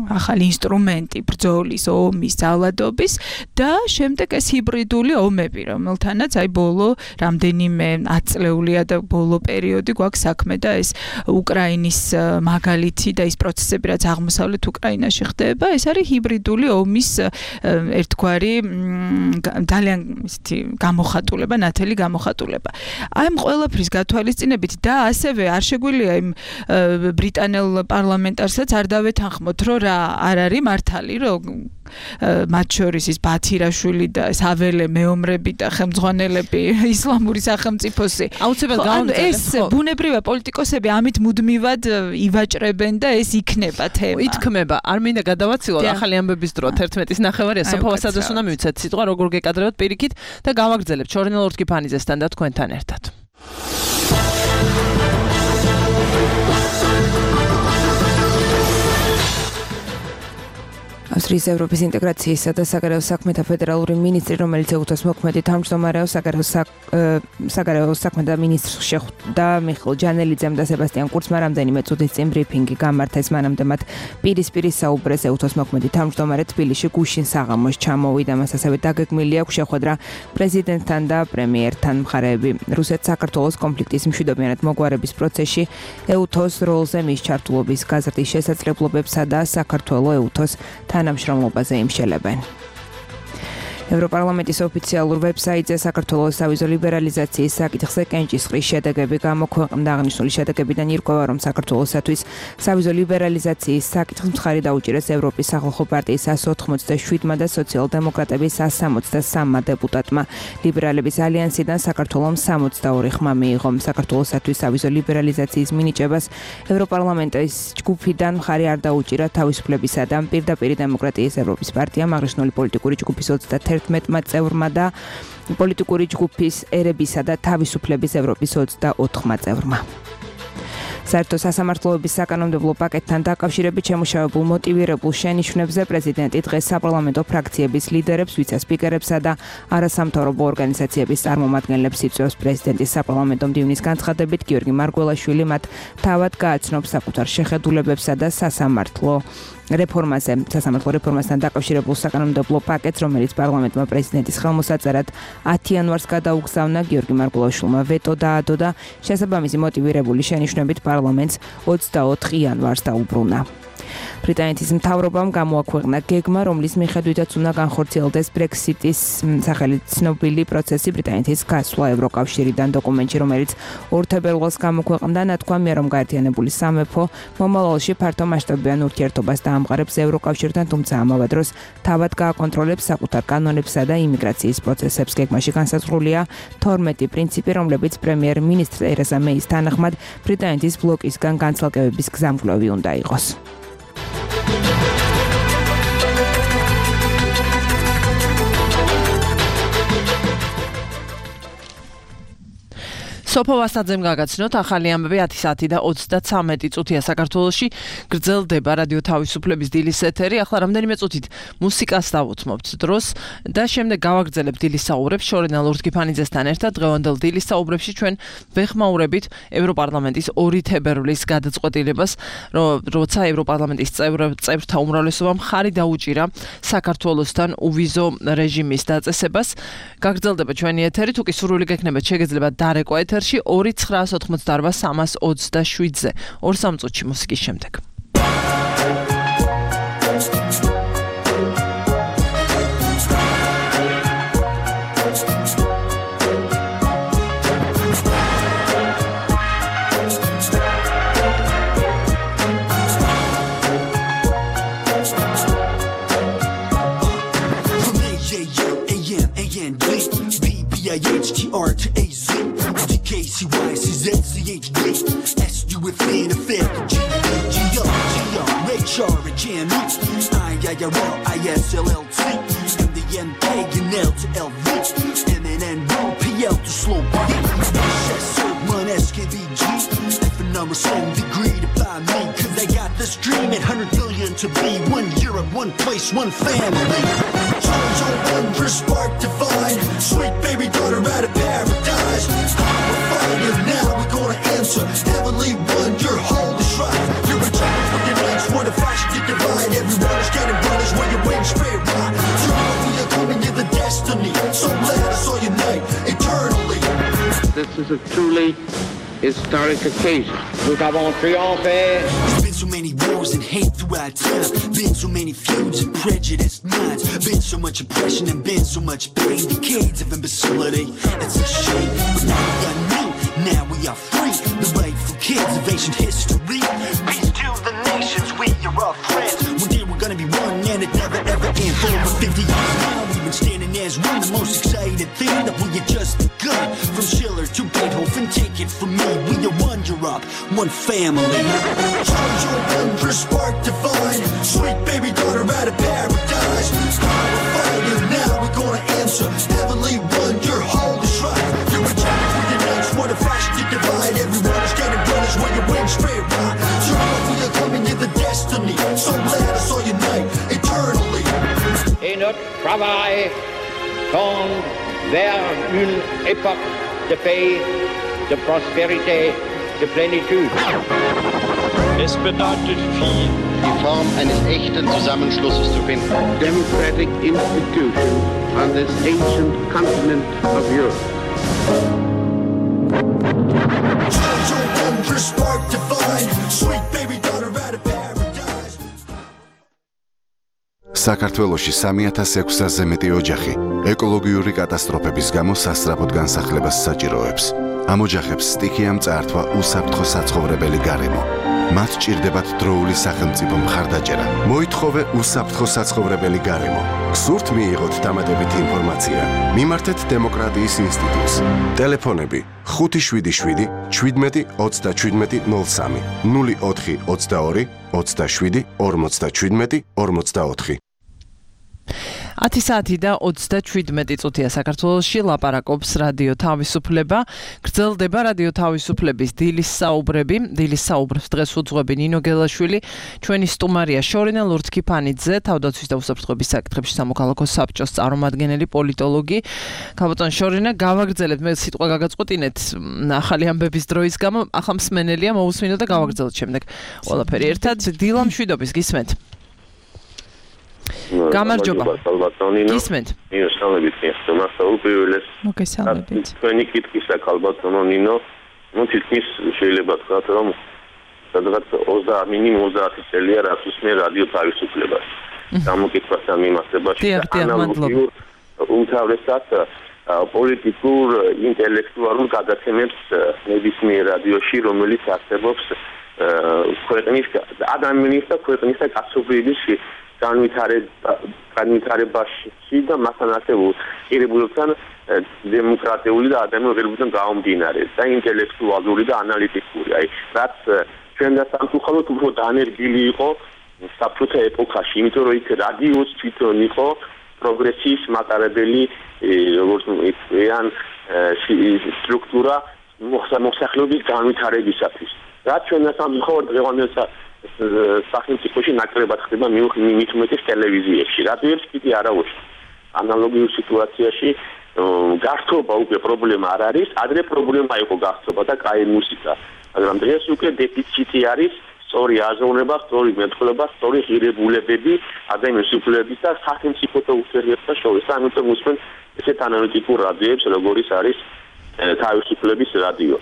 ახალი ინსტრუმენტი ბრძოლის, ომის, ძალადობის და შემდეგ ეს ჰიბრიდული ომები, რომელთანაც აი ბოლო რამდენიმე ათწლეულია და ბოლო პერიოდი გვაქვს საქმე და ეს უკრაინის მაგალითი და ის პროცესები, რაც აღმოსავლეთ უკრაინაში ხდება, ეს არის ჰიბრიდული ომის ერთგვარი ძალიან ისეთი გამოხატულება, ნათელი გამოხატულება. აი ამ ყველაფრის გათვალისწინებით და ასევე არ შეგვიძლია იმ ბრიტანელ პარლამენტარსაც არ დავეთანხმოთ, რომ რა არ არის მართალი, რომ მათ შორის ის ბათირაშვილი და საველე მეომრები და ხელმძღვანელები ისლამური სახელმწიფოსი. აუცილებლად გავამწევთ. ეს ბუნებრივია პოლიტიკოსები ამით მუდმივად ივაჭრებენ და ეს იქნება თემა. ითქმება. არ მინდა გადავაცილოთ ახალი ამბების დრო თერთმეტის ნახევარია სოფო ვასაძეს უნდა მივიცეთ სიტყვა როგორ გეკადრებთ პირიქით და გავაგრძელებთ შორინელ ორთქიფანიძესთან და თქვენთან ერთად. ავსტრიის ევროპის ინტეგრაციისა და საგარეო საქმეთა ფედერალური მინისტრი, რომელიც ეუთოს მოქმედი თავმჯდომარეო საგარეო საქმეთა მინისტრს შეხვდა მიხეილ ჯანელიძემ და სებასტიან კურცმა რამდენიმე წუთის წინ ბრიფინგი გამართეს, მანამდე მათ პირისპირ საუბრეს ეუთოს მოქმედი თავმჯდომარე თბილისში გუშინ საღამოს ჩამოვიდა, მას ასევე დაგეგმილი აქვს შეხვედრა პრეზიდენტთან და პრემიერთან. მხარეები რუსეთ-საქართველოს კონფლიქტის მშვიდობიანად მოგვარების პროცესში ეუთოს როლზე მის ჩართულობის გაზრდის შესაძლებლობებსა და საქართველოს ეუთოს თანამშრომლობაზე იმშელებენ. ევროპარლამენტის ოფიციალურ ვებსაიტზე საქართველოს სავიზო ლიბერალიზაციის საკითხზე კენჭისყრის შედეგები გამოქვეყნდა. აღნიშნული შედეგებიდან ირკვევა, რომ საქართველოსათვის სავიზო ლიბერალიზაციის საკითხს მხარი დაუჭირეს ევროპის სახალხო პარტიის εκατს ოთხმოცდაშვიდმა და სოციალ-დემოკრატების εκατს სამოცდასამმა დეპუტატმა. ლიბერალების ალიანსიდან საქართველოს სამოცდაორი ხმა მიიღო. საქართველოსათვის სავიზო ლიბერალიზაციის მინიჭებას ევროპარლამენტის ჯგუფიდან მხარი არ დაუჭირა თავისუფლებისა და პირდაპირ დემოკრატიის ევროპის პარტიამ. აღნიშნული პოლიტიკური ჯგუფის ოცდაერთმა წევრმა და პოლიტიკური ჯგუფის ერებისა და თავისუფლების ევროპის ოცდაოთხმა წევრმა. საერთო სასამართლოების საკანონმდებლო პაკეტთან დაკავშირებით შემუშავებულ მოტივირებულ შენიშვნებზე პრეზიდენტი დღეს საპარლამენტო ფრაქციების ლიდერებს, ვიცე-სპიკერებსა და არასამთავრობო ორგანიზაციების წარმომადგენლებს იწვევს. პრეზიდენტის საპარლამენტო მდივნის განცხადებით გიორგი მარგველაშვილი მათ თავად გააცნობს საკუთარ შეხედულებებსა და სასამართლო რეფორმაზე, სასამართლო რეფორმასთან დაკავშირებულ საკანონმდებლო პაკეტს, რომელიც პარლამენტმა პრეზიდენტის ხელმოსაწერად ათი იანვარს გადაუგზავნა, გიორგი მარგველაშვილმა ვეტო დაადო და შესაბამისი მოტივირებული შენიშვნებით პარლამენტს ოცდაოთხ იანვარს დაუბრუნა. ბრიტანეთის მთავრობამ გამოაქვეყნა გეგმა, რომლის მიხედვითაც უნდა განხორციელდეს ბრექსიტის სახელით ცნობილი პროცესი ბრიტანეთის გასვლა ევროკავშირიდან. დოკუმენტში, რომელიც ორ თებერვალს გამოქვეყნდა, ნათქვამია, რომ გაერთიანებული სამეფო მომავალში ფართო მასშტაბიან ურთიერთობას დაამყარებს ევროკავშირთან, თუმცა ამავე დროს თავად გააკონტროლებს საკუთარ კანონებსა და იმიგრაციის პროცესებს. გეგმაში განსაზღვრულია თორმეტი პრინციპი, რომლებიც პრემიერ-მინისტრ ტერეზა მეის თანახმად ბრიტანეთის ბლოკისგან განცალკევების გზამკვლევი უნდა იყოს. სოფო ვასაძემ გაგაცნოთ ახალი ამბები ათი საათი და ოცდაცამეტი წუთია საქართველოში გრძელდება რადიო თავისუფლების დილის ეთერი. ახლა რამდენიმე წუთით მუსიკას დავუთმობთ დროს და შემდეგ გავაგრძელებთ დილის საუბრებს შორინელ ორთქიფანიძესთან ერთად. დღევანდელ დილის საუბრებში ჩვენ ვეხმაურებით ევროპარლამენტის ორი თებერვლის გადაწყვეტილებას, როცა ევროპარლამენტის წევრთა უმრავლესობამ მხარი დაუჭირა საქართველოსთან უვიზო რეჟიმის დაწესებას. გაგრძელდება ჩვენი ეთერი, თუ კი სურვილი გექნებათ შეგეძლებათ დარეკვა ეთერში ორი ცხრაას ოთხმოცდაარბა სამას ოცდაშვიდზე. ორ სამ წუთში მუსიკის შემდეგ. R H M E, I I R L I S L L T, M D M K and L to L V, M N N O P L to slow beat, S O one S K V G, F and R seven degree to buy me, cause they got this dream at one hundred billion to be one Europe, one place, one family. Charge your wondrous spark divine, sweet baby daughter out of paradise. I'm a fire now, we're gonna answer, heavenly one, your holy shrine. You're a child for your next one, a fashion to divide. Everyone is getting brothers when your wings straight right. Tomorrow we are coming to the destiny, so let us all unite eternally. This is a truly historic occasion. Nous avons triomphé. There's been so many wars and hate throughout time. Been so many feuds and prejudiced minds. Been so much oppression and been so much pain. Decades of imbecility. It's a shame, but now we got new. Now we are free. The rightful kids of ancient history. Peace to the nations. We are all friends. One day we're gonna be one, and it never ever ends. For over fifty years now, we've been standing as one. The most excited thing that we had just begun. From Schiller to Beethoven, take it from me. We are one Europe, one family. Charge your wondrous spark divine, sweet baby daughter out of paradise. I'm a fire now, we're gonna answer, heavenly one, your holy shrine. You're a child for your next one, a fashion to divide. Everyone is getting brothers when your wings straight right. Tomorrow we are coming to the destiny, so let us all unite eternally. Et notre travail tend vers une époque de paix, de prospérité, de plénitude. Es bedeutet viel, die Form eines echten Zusammenschlusses zu finden. Democratic institution on this ancient continent of Europe. Charge your wondrous spark divine, sweet baby daughter out of paradise. საქართველოში სამი ათას ექვსასზე მეტი ოჯახი ეკოლოგიური კატასტროფების გამო სასწრაფოდ განსახლებას საჭიროებს. ამ ოჯახებს სტიქია მწართვა უსაფრთხო საცხოვრებელი გარემო. მათ ჭირდებათ დროული სახელმწიფო მხარდაჭერა. მოითხოვე უსაფრთხო საცხოვრებელი გარემო. გსურთ მიიღოთ დამატებითი ინფორმაცია? მიმართეთ დემოკრატიის ინსტიტუტს. ტელეფონები ხუთი შვიდი შვიდი შვიდმეტი ოცდაშვიდმეტი ნულ სამი ნული ოთხი ოცდაორი ოცდაშვიდი ორმოცდაშვიდმეტი ორმოცდაოთხი. ათი საათი და ოცდაშვიდმეტი წუთია საქართველოში ლაპარაკობს რადიო თავისუფლება. გრძელდება რადიო თავისუფლების დილის საუბრები. დილის საუბრებს დღეს უძღვები ნინო გელაშვილი, ჩვენი სტუმარია შორინა ლურთქიფანიძე, თავდაცვის და უსაფრთხოების საკითხებში სამოქალაქო საბჭოს წარმომადგენელი პოლიტოლოგი. ქალბატონ შორინა, გავაგრძელებთ, მე სიტყვა გაგაწყვეტინეთ ახალი ამბების დროის გამო, ახლა მსმენელია მოусმინო და გავაგრძელოთ შემდეგ ყველაფერი ერთად. დილა მშვიდობის გისმენთ? გამარჯობა. გისმენთ? ნინო, სამებით მიხდომა საუბრიველეს. მოგესალმებით. თქვენი კითხვისა ქალბატონო ნინო, ну თითქმის შეიძლება თქვათ, რომ სადღაც ოცდაათი მინიმუმ ოცდაათი წელია რაც უსმენ რადიო თავისუფლებას. გამოკითხვასთან მიმართებაში ანალოგიურ უმთავრესად პოლიტიკურ ინტელექტუალურ გადაცემებს ნებისმიერ რადიოში, რომელიც არსებობს ქვეყნის ადამიანის და ქვეყნის და კაცობრიობის განვითარებაში და მასთან არსებულ ღირებულებთან დემოკრატიული და ადამიანური ღირებულებთან გამომდინარე და ინტელექტუალური და ანალიტიკური. აი, რაც ჩვენ და სამწუხაროდ უფრო დანერგილი იყო საბჭოთა ეპოქაში, იმიტომ რომ იქ რადიოს თვითონ იყო პროგრესის მატარებელი როგორც ეან სტრუქტურა მოსახლეობის განვითარებისათვის. რაც ჩვენ და სამწუხაროდ დღევანდელ სახელმწიფოში ნაკლებად ხდება მით უმეტეს ტელევიზიებში. რადიოებს კიდე არა უშვა. ანალოგიურ სიტუაციაში გართობა უკვე პრობლემა არ არის, ადრე პრობლემა იყო გართობა და კაი მუსიკა. მაგრამ დღეს უკვე დეფიციტი არის სწორი აზროვნება, სწორი მეტყველება, სწორი ღირებულებები ადამიანის უფლებების და სახელმწიფოთა ურთიერთობათა შორის. ამიტომ უსმენ ესეთ ანალიტიკურ რადიოებს, როგორიც არის თავისუფლების რადიო.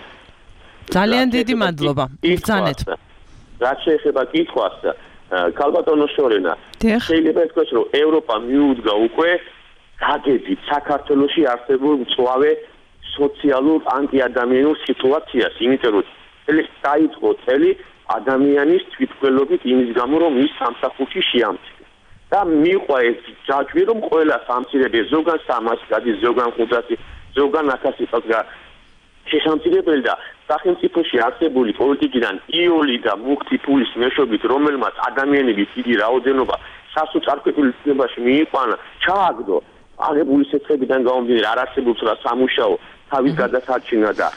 ძალიან დიდი მადლობა. ბრძანეთ. რაც შეეხება კითხვას, ქალბატონო შორენა, შეიძლება ითქვას, რომ ევროპა მიუდგა უკვე გაგებით საქართველოში არსებულ მწვავე სოციალურ ანტიადამიანურ სიტუაციას, იმიტომ რომ წელი დაიწყო წელი ადამიანის თვითმკვლელობით იმის გამო, რომ ის სამსახურში შეამცირა. და მიყვა ეს ჯაჭვი, რომ ყველა სამცირებელი ზოგან სამას გადის, ზოგან ხუთასი, ზოგან ათასი წელს შესამცირებელი და სახელმწიფოში არსებული პოლიტიკიდან იოლი და მუქი ფულის მეშვეობით, რომელმაც ადამიანების დიდი რაოდენობა სასოწარკვეთილ ცნებაში მიიყვანა, ჩააგდო აღებული სეცხებიდან გამომდინარე არ არსებობს რა სამუშაო თავის გადასარჩენა და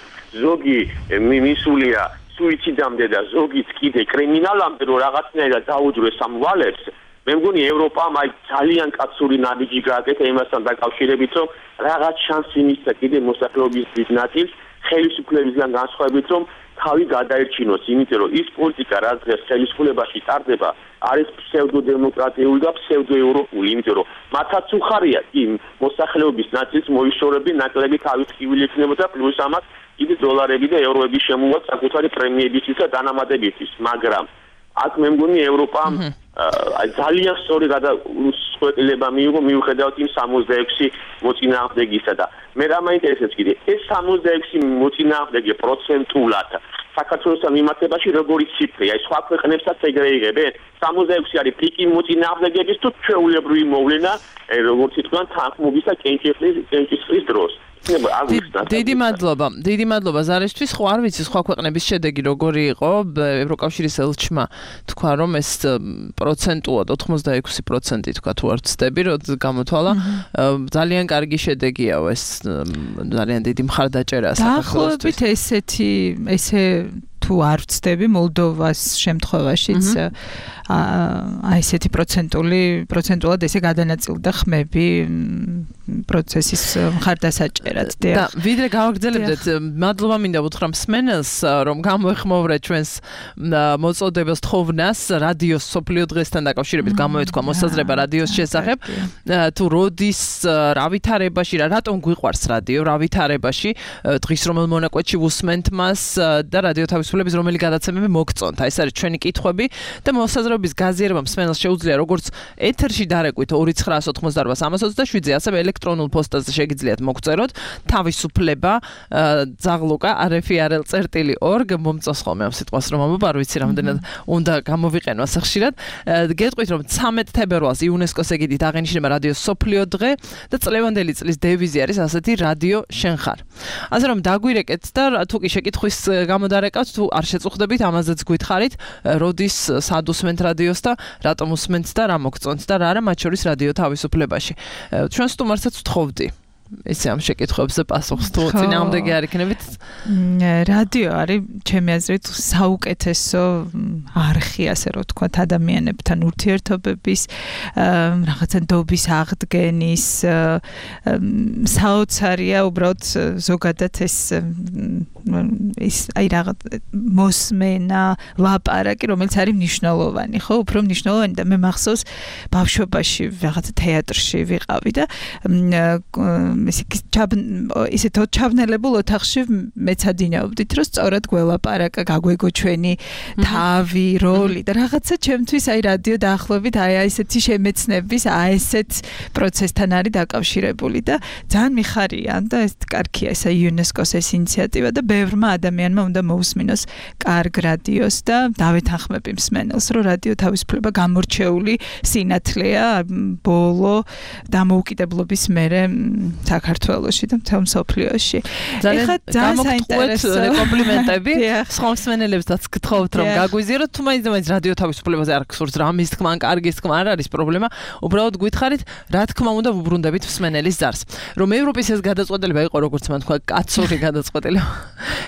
ზოგი მისულია სუიციდამდე და ზოგიც კიდე კრიმინალამდე რომ რაღაცნაირად დაუძრეს ამ ვალებს. მე მგონი ევროპამ აი ძალიან კაცური ნაბიჯი გააკეთა იმასთან დაკავშირებით, რომ რაღაც შანსი მისცა კიდე მოსახლეობის დიდ ნაწილს ხელისუფლებისგან განსხვავებით, რომ თავი გადაერჩინოს, იმიტომ რომ ის პოლიტიკა, რაც დღეს ხელისუფლებაში ტარდება, არის ფსევდოდემოკრატიული და ფსევდოევროპული, იმიტომ რომ მათაც უხარია იმ მოსახლეობის ნაწილს მოიშორები ნაკლები თავის ტკივილი ექნებოდა, პლუს ამას კიდე დოლარები და ევროები შემოვა საკუთარი პრემიებისთვის და დანამატებისთვის, მაგრამ აქ მე მგონი ევროპამ აი ძალიან სწორი გადაწყვეტილება მიიღო მიუხედავად იმ სამოცდაექვსი მოწინააღმდეგისა და მე რა მაინტერესებს კიდე ეს სამოცდაექვსი მოწინააღმდეგე პროცენტულად საქართველოსთან მიმართებაში როგორი ციფრია აი სხვა ქვეყნებსაც ეგრე იღებენ სამოცდაექვსი არის პიკი მოწინააღმდეგების თუ ჩვეულებრივი მოვლენა როგორც ითქვა თანხმობის და კენჭისყრის დროს დიდი მადლობა. დიდი მადლობა ზარისთვის. ხო არ ვიცი სხვა ქვეყნების შედეგი როგორი იყო. ევროკავშირის ელჩმა თქვა რომ ეს პროცენტულად ოთხმოცდაექვსი პროცენტი თქვა თუ არ ვცდები რომ გამოთვალა. ძალიან კარგი შედეგიაო ეს ძალიან დიდი მხარდაჭერაა საქართველოსთვის. დაახლოებით ესეთი ესე თუ არ ვცდები მოლდოვას შემთხვევაშიც აი ესეთი პროცენტული პროცენტულად ესე გადანაწილდა ხმები პროცესის მხარდასაჭერად და ვიდრე გავაგრძელებდეთ მადლობა მინდა უთხრა მსმენელს რომ გამოეხმოვრე ჩვენს მოწოდებას თხოვნას რადიოს სოფლიო დღესთან დაკავშირებით გამოეთქვა მოსაზრება რადიოს შესახებ თუ როდის რა ვითარებაში რა რატომ გვიყვარს რადიო რა ვითარებაში დღის რომელ მონაკვეთში უსმენთ მას და რადიო თავისუფლების რომელი გადაცემები მოგწონთ აი ეს არის ჩვენი კითხვები და მოსაზრების გაზიარება მსმენელს შეუძლია როგორც ეთერში დარეკვით ორი ცხრაას ოცდაოთხმოცდაარბა სამას ოცდაშვიდზე ასევე ელექტრონულ პოსტაზე შეგიძლიათ მოგწეროთ თავისუფლება ზაღლუკა rf.rl წერტილი org მომწონს ხოლმე ამ სიტყვას რომ ამბობ არ ვიცი რამდენად უნდა გამოვიყენო ასე ხშირად გეტყვით რომ ცამეტ თებერვალს იუნესკოს ეგიდით აღენიშნება რადიოს სოფლიო დღე და წლევანდელი წლის დევიზი არის ასეთი რადიო შენ ხარ ასე რომ დაგვირეკეთ და თუ კი შეკითხვის გამოდარეკავთ თუ არ შეწუხდებით ამაზეც გითხარით როდის სად უსმენთ რადიოს და რატომ უსმენთ და რა მოგწონთ და რა არა მათ შორის რადიო თავისუფლებაში ჩვენ სტუმარსაც ვთხოვდი ესე ამ შეკითხვებზე პასუხს თუ წინააღმდეგი არ იქნებით რადიო არის ჩემი აზრით საუკეთესო არხი ასე რომ ვთქვათ ადამიანებთან ურთიერთობების რაღაცა დობის აღდგენის საოცარია უბრალოდ ზოგადად ეს ის აი რაღაც მოსმენა ლაპარაკი რომელიც არის მნიშვნელოვანი ხო უფრო მნიშვნელოვანი და მე მახსოვს ბავშვობაში რაღაცა თეატრში ვიყავი და ისეთ ჩაბნელებულ ოთახში მეცადინეობდით რომ სწორად გველაპარაკა გაგვეგო ჩვენი თავი როლი და რაღაცა ჩემთვის აი რადიო დაახლოებით აი ესეთი შემეცნების აი ესეთ პროცესთან არის დაკავშირებული და ძალიან მიხარია და ეს კარგია ესა იუნესკოს ეს ინიციატივა და ბევრმა ადამიანმა უნდა მოусმინოს კარგ რადიოს და დავეთანხმები მსმენელს რომ რადიო თავისუფლება გამორჩეული სინათლეა ბოლო დამოუკიდებლობის მერე საქართველოში და მთელ მსოფლიოში. ძალიან გამოგთხოვეთ კომპლიმენტები. სხვა მსმენელებსაც გთხოვთ რომ გაგვიზიაროთ თუ მაინც მაინც რადიო თავისუფლებაზე არ გსურთ რამის თქმა ან კარგის თქმა არ არის პრობლემა. უბრალოდ გითხარით რა თქმა უნდა ვუბრუნდებით მსმენელის ზარს. რომ ევროპის ეს გადაწყვეტილება იყო როგორც მან თქვა კაცური გადაწყვეტილება.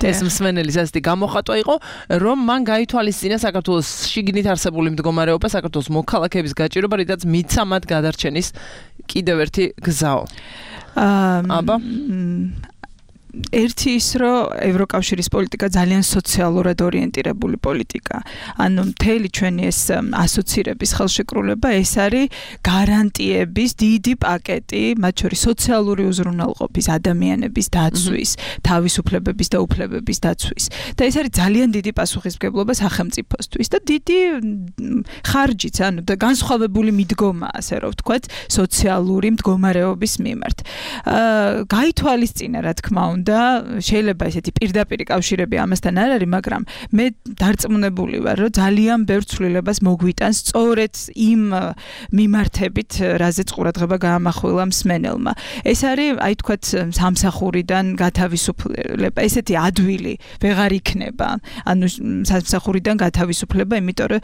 ეს მსმენელის ასეთი გამოხატვა იყო რომ მან გაითვალისწინა საქართველოს შიგნით არსებული მდგომარეობა საქართველოს მოქალაქეების გაჭირვება რითაც მიცა მათ გადარჩენის კიდევ ერთი გზაო. აბა ერთი ის რომ ევროკავშირის პოლიტიკა ძალიან სოციალურად ორიენტირებული პოლიტიკა. ანუ მთელი ჩვენი ეს ასოცირების ხელშეკრულება ეს არის გარანტიების დიდი პაკეტი, მათ შორის სოციალური უზრუნველყოფის, ადამიანების დაცვის, თავისუფლებების და უფლებების დაცვის. და ეს არის ძალიან დიდი პასუხისმგებლობა სახელმწიფოსთვის და დიდი ხარჯიც, ანუ და განსხვავებული მიდგომა, ასე რომ ვთქვათ, სოციალური მდგომარეობის მიმართ. აა გაითვალისწინა, რა თქმა უნდა და შეიძლება ესეთი პირდაპირი კავშირები ამასთან არ არის, მაგრამ მე დარწმუნებული ვარ, რომ ძალიან ბევრ ცვლილებას მოგვიტანს სწორედ იმ მიმართებით, რაზეც ყურადღება გაამახვილა მსმენელმა. ეს არის, აი თქვათ, სამსახურიდან გათავისუფლება, ესეთი ადვილი ვეღარ იქნება. ანუ სამსახურიდან გათავისუფლება, იმიტომ რომ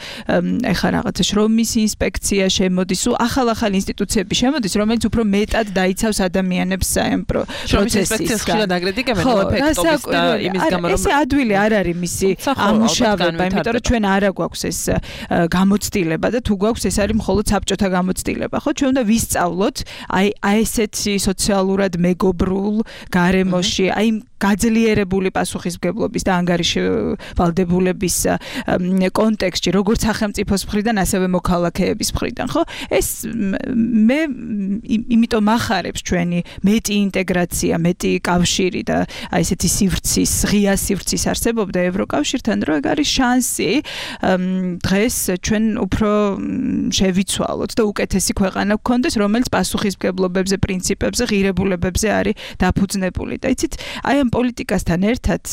ეხლა რაღაცა შრომის ინსპექცია შემოდის, ახალ-ახალ ინსტიტუციები შემოდის, რომელიც უფრო მეტად დაიცავს ადამიანებს საემპრო პროცესის. ხშირად აგრეთიკებენ ეფექტობის და იმის გამო რომ ესე ადვილი არ არის მისი ამუშავება, იმიტომ რომ ჩვენ არა გვაქვს ეს გამოცდილება და თუ გვაქვს ეს არის მხოლოდ საბჭოთა გამოცდილება, ხო? ჩვენ უნდა ვისწავლოთ აი აი ესეთი სოციალურად მეგობრულ გარემოში, აი გაძლიერებული პასუხისმგებლობის და ანგარიშვალდებულების კონტექსტში, როგორც სახელმწიფოს მხრიდან, ასევე მოქალაქეების მხრიდან, ხო? ეს მე იმიტომ ახარებს ჩვენი მეტი ინტეგრაცია, მეტი კავშირი და აი ესეთი სივრცის, ღია სივრცის არსებობდა ევროკავშირთან, რომ ეგ არის შანსი დღეს ჩვენ უფრო შევიცვალოთ და უკეთესი ქვეყანა გქონდეს, რომელიც პასუხისმგებლობებზე, პრინციპებზე, ღირებულებებზე არის დაფუძნებული. და იცით, აი ამ პოლიტიკასთან ერთად,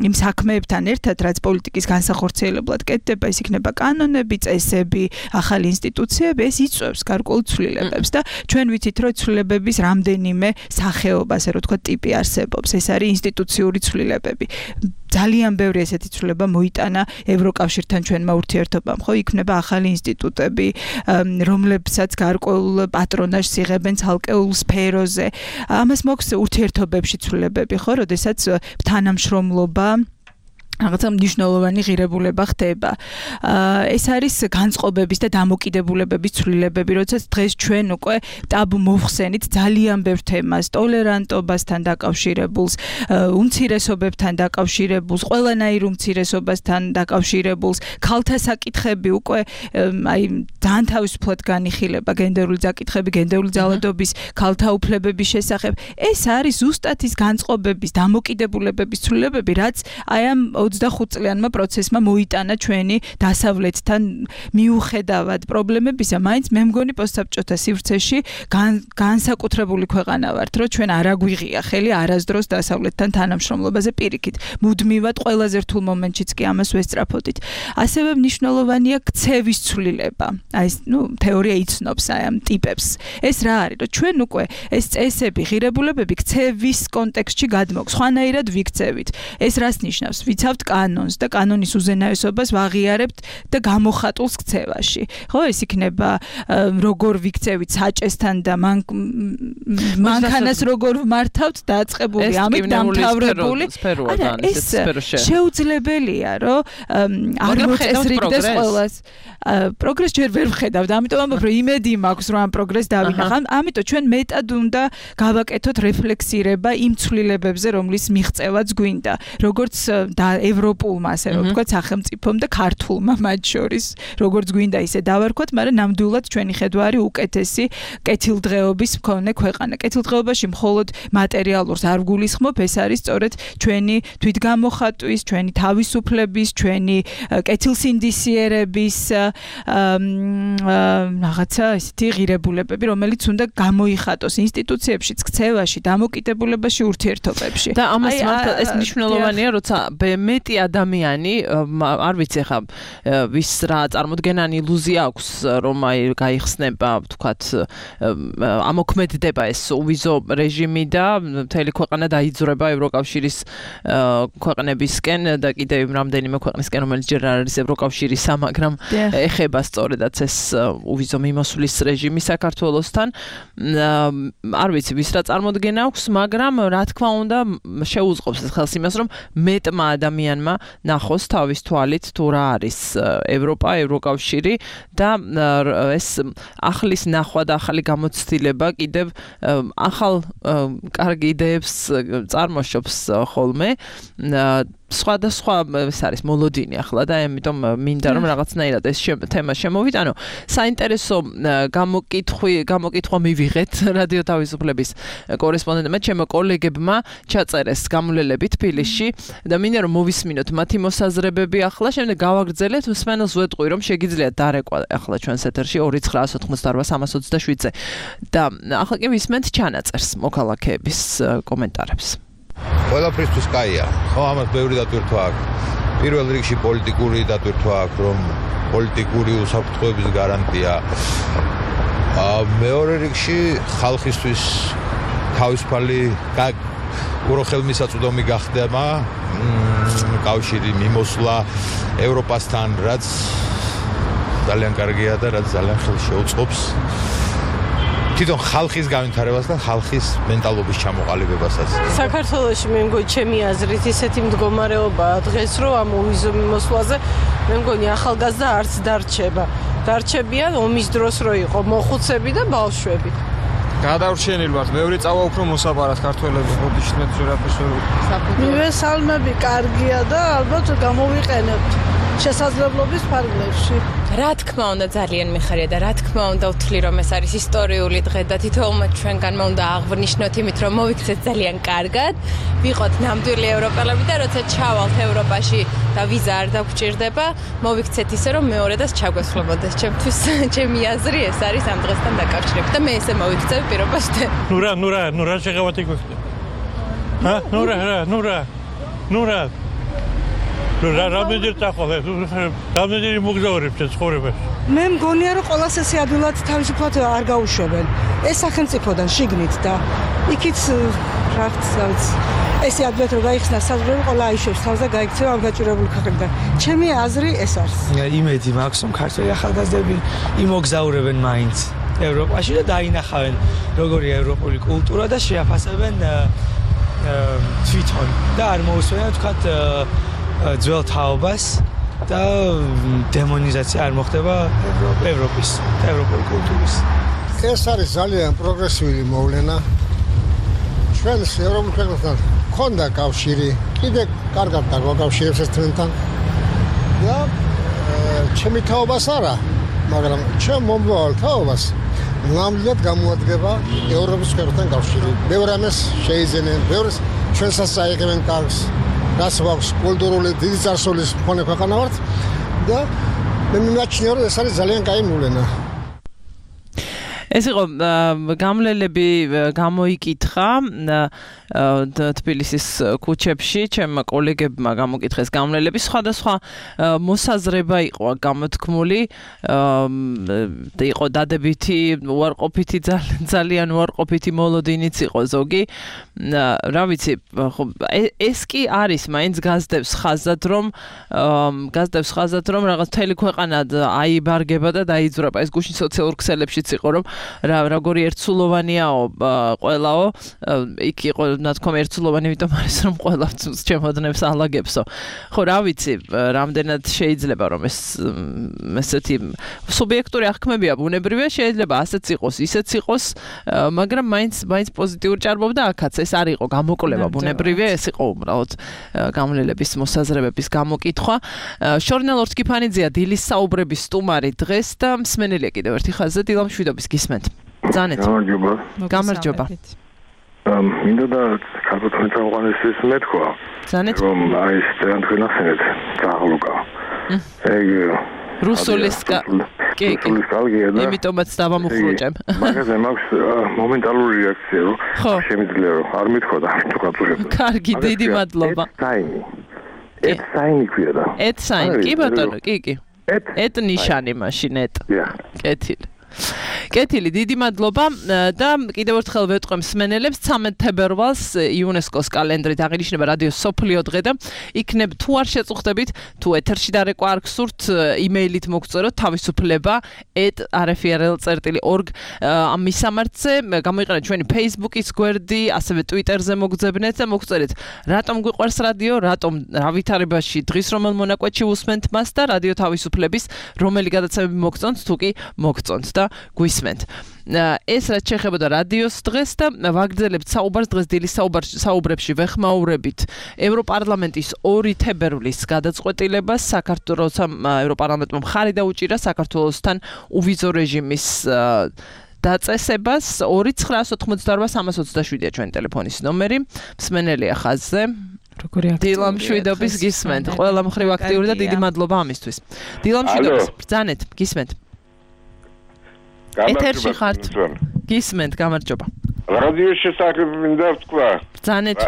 იმ საქმეებთან ერთად, რაც პოლიტიკის განსახორციელებლად კეთდება, ის იქნება კანონები, წესები, ახალი ინსტიტუციები, ეს იწვევს გარკვეულ ცვლილებებს და ჩვენ ვიცით, რომ ცვლილებების რამდენიმე სახეობა, ასე რომ თქვა, ტიპი არსებობს. ეს არის ინსტიტუციური ცვლილებები. ძალიან ბევრი ესეთი ცვლილება მოიტანა ევროკავშირთან ჩვენმა ურთიერთობამ, ხო? იქნება ახალი ინსტიტუტები, რომლებსაც გარკვეულ პატრონაჟს იღებენ ცალკეულ სფეროზე. ამას მოაქვს ურთიერთობებში ცვლილებები, ხო? როდესაც თანამშრომლობა რაღაცა მნიშვნელოვანი ღირებულება ხდება. ეს არის განწყობების და დამოკიდებულებების ცვლილებები, როდესაც დღეს ჩვენ უკვე ტაბუ მოვხსენით ძალიან ბევრ თემას, ტოლერანტობასთან დაკავშირებულს, უმცირესობებთან დაკავშირებულს, ყველანაირ უმცირესობასთან დაკავშირებულს, ქალთა საკითხები უკვე აი ძალიან თავისუფლად განიხილება, გენდერული საკითხები, გენდერული ძალადობის, ქალთა უფლებების შესახებ. ეს არის ზუსტად ის განწყობების, დამოკიდებულებების ცვლილებები, რაც აი ამ ოცდახუთ წლიანმა პროცესმა მოიტანა ჩვენი დასავლეთთან მიუხედავად პრობლემებისა, მაინც მე მგონი პოსტსაბჭოთა სივრცეში განსაკუთრებული ქვეყანა ვართ, რომ ჩვენ არ აგვიღია ხელი არასდროს დასავლეთთან თანამშრომლობაზე პირიქით. მუდმივად ყველაზე რთულ მომენტშიც კი ამას ვესწრაფოდით. ასევე მნიშვნელოვანია ქცევის ცვლილება. აი ეს, ნუ, თეორია იცნობს აი ამ ტიპებს. ეს რა არის, რომ ჩვენ უკვე ეს წესები, ღირებულებები ქცევის კონტექსტში გადმოგვს, ხვანაირად ვიქცევით. ეს რას ნიშნავს? ვიცავთ კანონს და კანონის უზენაესობას ვაღიარებთ და გამოხატულს ქცევაში. ხო, ეს იქნება როგორ ვიქცევით საჭესთან და მანქანას როგორ ვმართავთ დაწყებული, ამით დამთავრებული. არა, ეს შეუძლებელია, რომ არ მოწესრიგდეს ყველას. პროგრესს ჯერ ვერ ვხედავთ, ამიტომ ამბობ, რომ იმედი მაქვს, რომ ამ პროგრესს დავინახავ. ამიტომ ჩვენ მეტად უნდა გავაკეთოთ რეფლექსირება იმ ცვლილებებზე, რომლის მიღწევაც გვინდა. როგორც და ევროპულმა, ასე რომ ვთქვათ, სახელმწიფომ და ქართულმა მათ შორის, როგორც გვინდა ისე დავარქვათ, მაგრამ ნამდვილად ჩვენი ხედვა არის უკეთესი კეთილდღეობის მქონე ქვეყანა. კეთილდღეობაში მხოლოდ მატერიალურს არ ვგულისხმობ, ეს არის სწორედ ჩვენი თვითგამოხატვის, ჩვენი თავისუფლების, ჩვენი კეთილსინდისიერების რაღაცა ისეთი ღირებულებები, რომელიც უნდა გამოიხატოს ინსტიტუციებშიც, ქცევაში, დამოკიდებულებაში, ურთიერთობებში. და ამას მართლა ეს მნიშვნელოვანია, როცა მეტი ადამიანი, არ ვიცი ხა, ვის რა წარმოდგენანი ილუზია აქვს, რომ აი გაიხსნება, ვთქვათ, ამოქმედდება ეს უვიზო რეჟიმი და მთელი ქვეყანა დაიძრება ევროკავშირის ქვეყნებისკენ და კიდევ რამდენიმე ქვეყნისკენ, რომელიც ჯერ არ არის ევროკავშირისა, მაგრამ ეხება სწორედაც ეს უვიზო მიმოსვლის რეჟიმი საქართველოსთან. არ ვიცი, ვის რა წარმოდგენა აქვს, მაგრამ რა თქმა უნდა, შეუწყობს ეს ხელს იმას, რომ მეტმა ადამიანმა ნახოს თავის თვალით თუ რა არის ევროპა, ევროკავშირი და ეს ახლის ნახვა და ახალი გამოცდილება კიდევ ახალ კარგი იდეებს წარმოშობს ხოლმე. სხვადასხვა ეს არის მოლოდინი ახლა და ამიტომ მინდა რომ რაღაცნაირად ეს თემა შემოვიტანო. საინტერესო გამოკითხვი, გამოკითხვა მივიღეთ რადიო თავისუფლების კორესპონდენტმა, ჩემო კოლეგებმა ჩაწერეს გამვლელები თბილისში და მინდა რომ მოვისმინოთ მათი მოსაზრებები ახლა, შემდეგ გავაგრძელეთ, მსმენელს ვეტყვი რომ შეგიძლიათ დარეკვა ახლა ჩვენს ეთერში ორი ცხრა ოცდაოთხმოცდაორ სამას ოცდაშვიდზე და ახლა კი ვისმენთ ჩანაწერს მოქალაქეების კომენტარებს. ყველაფრისთვის კაია. ხო, ამას ბევრი დატვირთვა აქვს. პირველ რიგში პოლიტიკური დატვირთვა აქვს, რომ პოლიტიკური უსაფრთხოების გარანტია. მეორე რიგში ხალხისთვის თავისუფალი უხელმისაწვდომი გახდება კავშირი მიმოსვლა ევროპასთან, რაც ძალიან კარგია და რაც ძალიან ხელს შეუწყობს თვითონ ხალხის განვითარებას და ხალხის მენტალობის ჩამოყალიბებასაც. საქართველოში მე მგონი ჩემი აზრით ისეთი მდგომარეობაა დღეს, რომ ამ ომის მოსვლაზე მე მგონი ახალგაზრდა არც დარჩება. დარჩებიან ომის დროს რო იყო მოხუცები და ბავშვები. გადავრჩენილ ვართ, ბევრი წავა უფრო მოსაპარად ქართველები ბოდიშით მე ზურაფის ვერ. მივესალმები, კარგია და ალბათ გამოვიყენებთ შესაძლებლობის ფარგლებში. რა თქმა უნდა ძალიან მიხარია და რა თქმა უნდა ვთვლი რომ ეს არის ისტორიული დღე და თითოეულმა ჩვენგანმა უნდა აღვნიშნოთ იმით რომ მოვიქცეთ ძალიან კარგად, ვიყოთ ნამდვილი ევროპელები და როცა ჩავალთ ევროპაში და ვიზა არ დაგვჭირდება, მოვიქცეთ ისე რომ მეორედაც ჩაგვესხლებოდეს. ჩემთვის ჩემი აზრი ეს არის ამ დღესთან დაკავშირებით და მე ესე მოვიქცევ პირობასთან. ნურა, ნურა, ნურა შეღავათი გვექნა. ჰა, ნურა, ნურა, ნურა. რა რამდენჯერ წახვალე, რამდენჯერ მოგზაურებ ცხოვრებაში. მე მგონია რომ ყოველას ესე ადვილად თავისუფლად არ გაუშვებენ. ეს სახელმწიფოდან შიგნით და იქით რაღაც ესე ადვილად რომ გაიხსნა საზღვრები ყველა აიშვებს თავს და გაიქცევა ამ გაჭირებული ქვეყნიდან. ჩემი აზრი ეს არის. იმედი მაქვს რომ ქართველი ახალგაზრდები იმოგზაურებენ მაინც ევროპაში და დაინახავენ როგორია ევროპული კულტურა და შეაფასებენ თვითონ და არ მოусვენებენ თქვათ ძველ თაობას და დემონიზაცია არ მოხდება ევროპის და ევროპული კულტურის. ეს არის ძალიან პროგრესიული მოვლენა. ჩვენს ევროპულ ქვეყნებთან ქონდა კავშირი, კიდე კარგად დაგვაკავშირებს ერთმანეთთან. და ჩემი თაობას არა, მაგრამ ჩემ მომავალ თაობას ნამდვილად გამოადგება ევროპის ქვეყნებთან კავშირი. ბევრი ამას შეიძენენ, ბევრი ჩვენსაც აიღებენ კარგს. რაც აქვს კულტურული დიდი წარსულის მქონე ქვეყანა ვართ და მე მიმაჩნია რომ ეს არის ძალიან კაი მოვლენა. ეს იყო გამლელები გამოიკითხა თბილისის ქუჩებში, ჩემმა კოლეგებმა გამოკითხეს გამლელები, სხვადასხვა მოსაზრება იყო გამოთქმული, იყო დადებითი, უარყოფითი, ძალიან უარყოფითი მოლოდინიც იყო ზოგი. რა ვიცი, ეს კი არის, მაინც გაზდებს ხაზად, რომ გაზდებს ხაზად, რომ რაღაც მთელი ქვეყანა აიბარგება და დაიძვრება. ეს გუშინ სოციალურ ქსელებშიც იყო, რომ რა როგორი ერთსულოვანიაო ყველაო იქ იყო ნათქვამი ერთსულოვანი იმიტომ არის რომ ყველა ჩემოდნებს ალაგებსო ხო რა ვიცი რამდენად შეიძლება რომ ეს ესეთი სუბიექტური აღქმებია ბუნებრივია შეიძლება ასეც იყოს ისეც იყოს მაგრამ მაინც მაინც პოზიტიური ჭარბობდა აქაც ეს არ იყო გამოკვლევა ბუნებრივია ეს იყო უბრალოდ გამლელების მოსაზრებების გამოკითხვა შორნელ ორთქიფანიძეა დილის საუბრების სტუმარი დღეს და მსმენელია კიდევ ერთი ხაზზე დილამ შვიდობის გისმენთ ზანეთ გამარჯობა გამარჯობა მინდა და ქართული თაყვანისთვის მეთქვა ზანეთ რომ აი ძალიან თქვენ ახსენეთ ძაღლუკა ეგ რუსულისკა კი კი იმიტომაც დავამუხრუჭებ მაგაზე მაქვს მომენტალური რეაქცია რომ შემიძლია რომ არ მithქვა და თუ გაწურებდა კარგი დიდი მადლობა ეთსაინი ეთსაინი ქვია და ეთსაინი კი ბატონო კი კი ეთ ნიშანი მაშინ ეთ კეთილი კეთილი დიდი მადლობა და კიდევ ერთხელ ვეტყვი მსმენელებს ცამეტ თებერვალს იუნესკოს კალენდრით აღინიშნება რადიო სოფლიო დღე და იქნებ თუ არ შეწუხდებით თუ ეთერში დარეკვა არ გსურთ იმეილით მოგწეროთ თავისუფლება ეტ არ ეფ არ ელ წერტილი ორგ ამ მისამართზე გამოიყენეთ ჩვენი Facebook-ის გვერდი ასევე Twitter-ზე მოგძებნეთ და მოგწერეთ რატომ გვიყვარს რადიო რატომ რა ვითარებაში დღის რომელ მონაკვეთში უსმენთ მას და რადიო თავისუფლების რომელი გადაცემები მოგწონთ თუ კი მოგწონთ და გვისმენთ. ეს რაც შეეხებოდა რადიოს დღეს და ვაგრძელებთ საუბარს დღეს დილის საუბრებში ვეხმაურებით ევროპარლამენტის ორი თებერვლის გადაწყვეტილებას საქართველოს ევროპარლამენტმა მხარი დაუჭირა საქართველოსთან უვიზო რეჟიმის დაწესებას ორი ცხრაას ოთხმოცდაორბა სამას ოცდაშვიდია ჩვენი ტელეფონის ნომერი მსმენელია ხაზზე როგორი აქტიური დილამ შვიდობის გისმენთ ყველა მხრივ აქტიური და დიდი მადლობა ამისთვის დილამ შვიდობის ბრძანეთ გისმენთ ეთერში ხართ გისმენთ გამარჯობა რადიოს შესახებ მინდა ვთქვა ბრძანეთ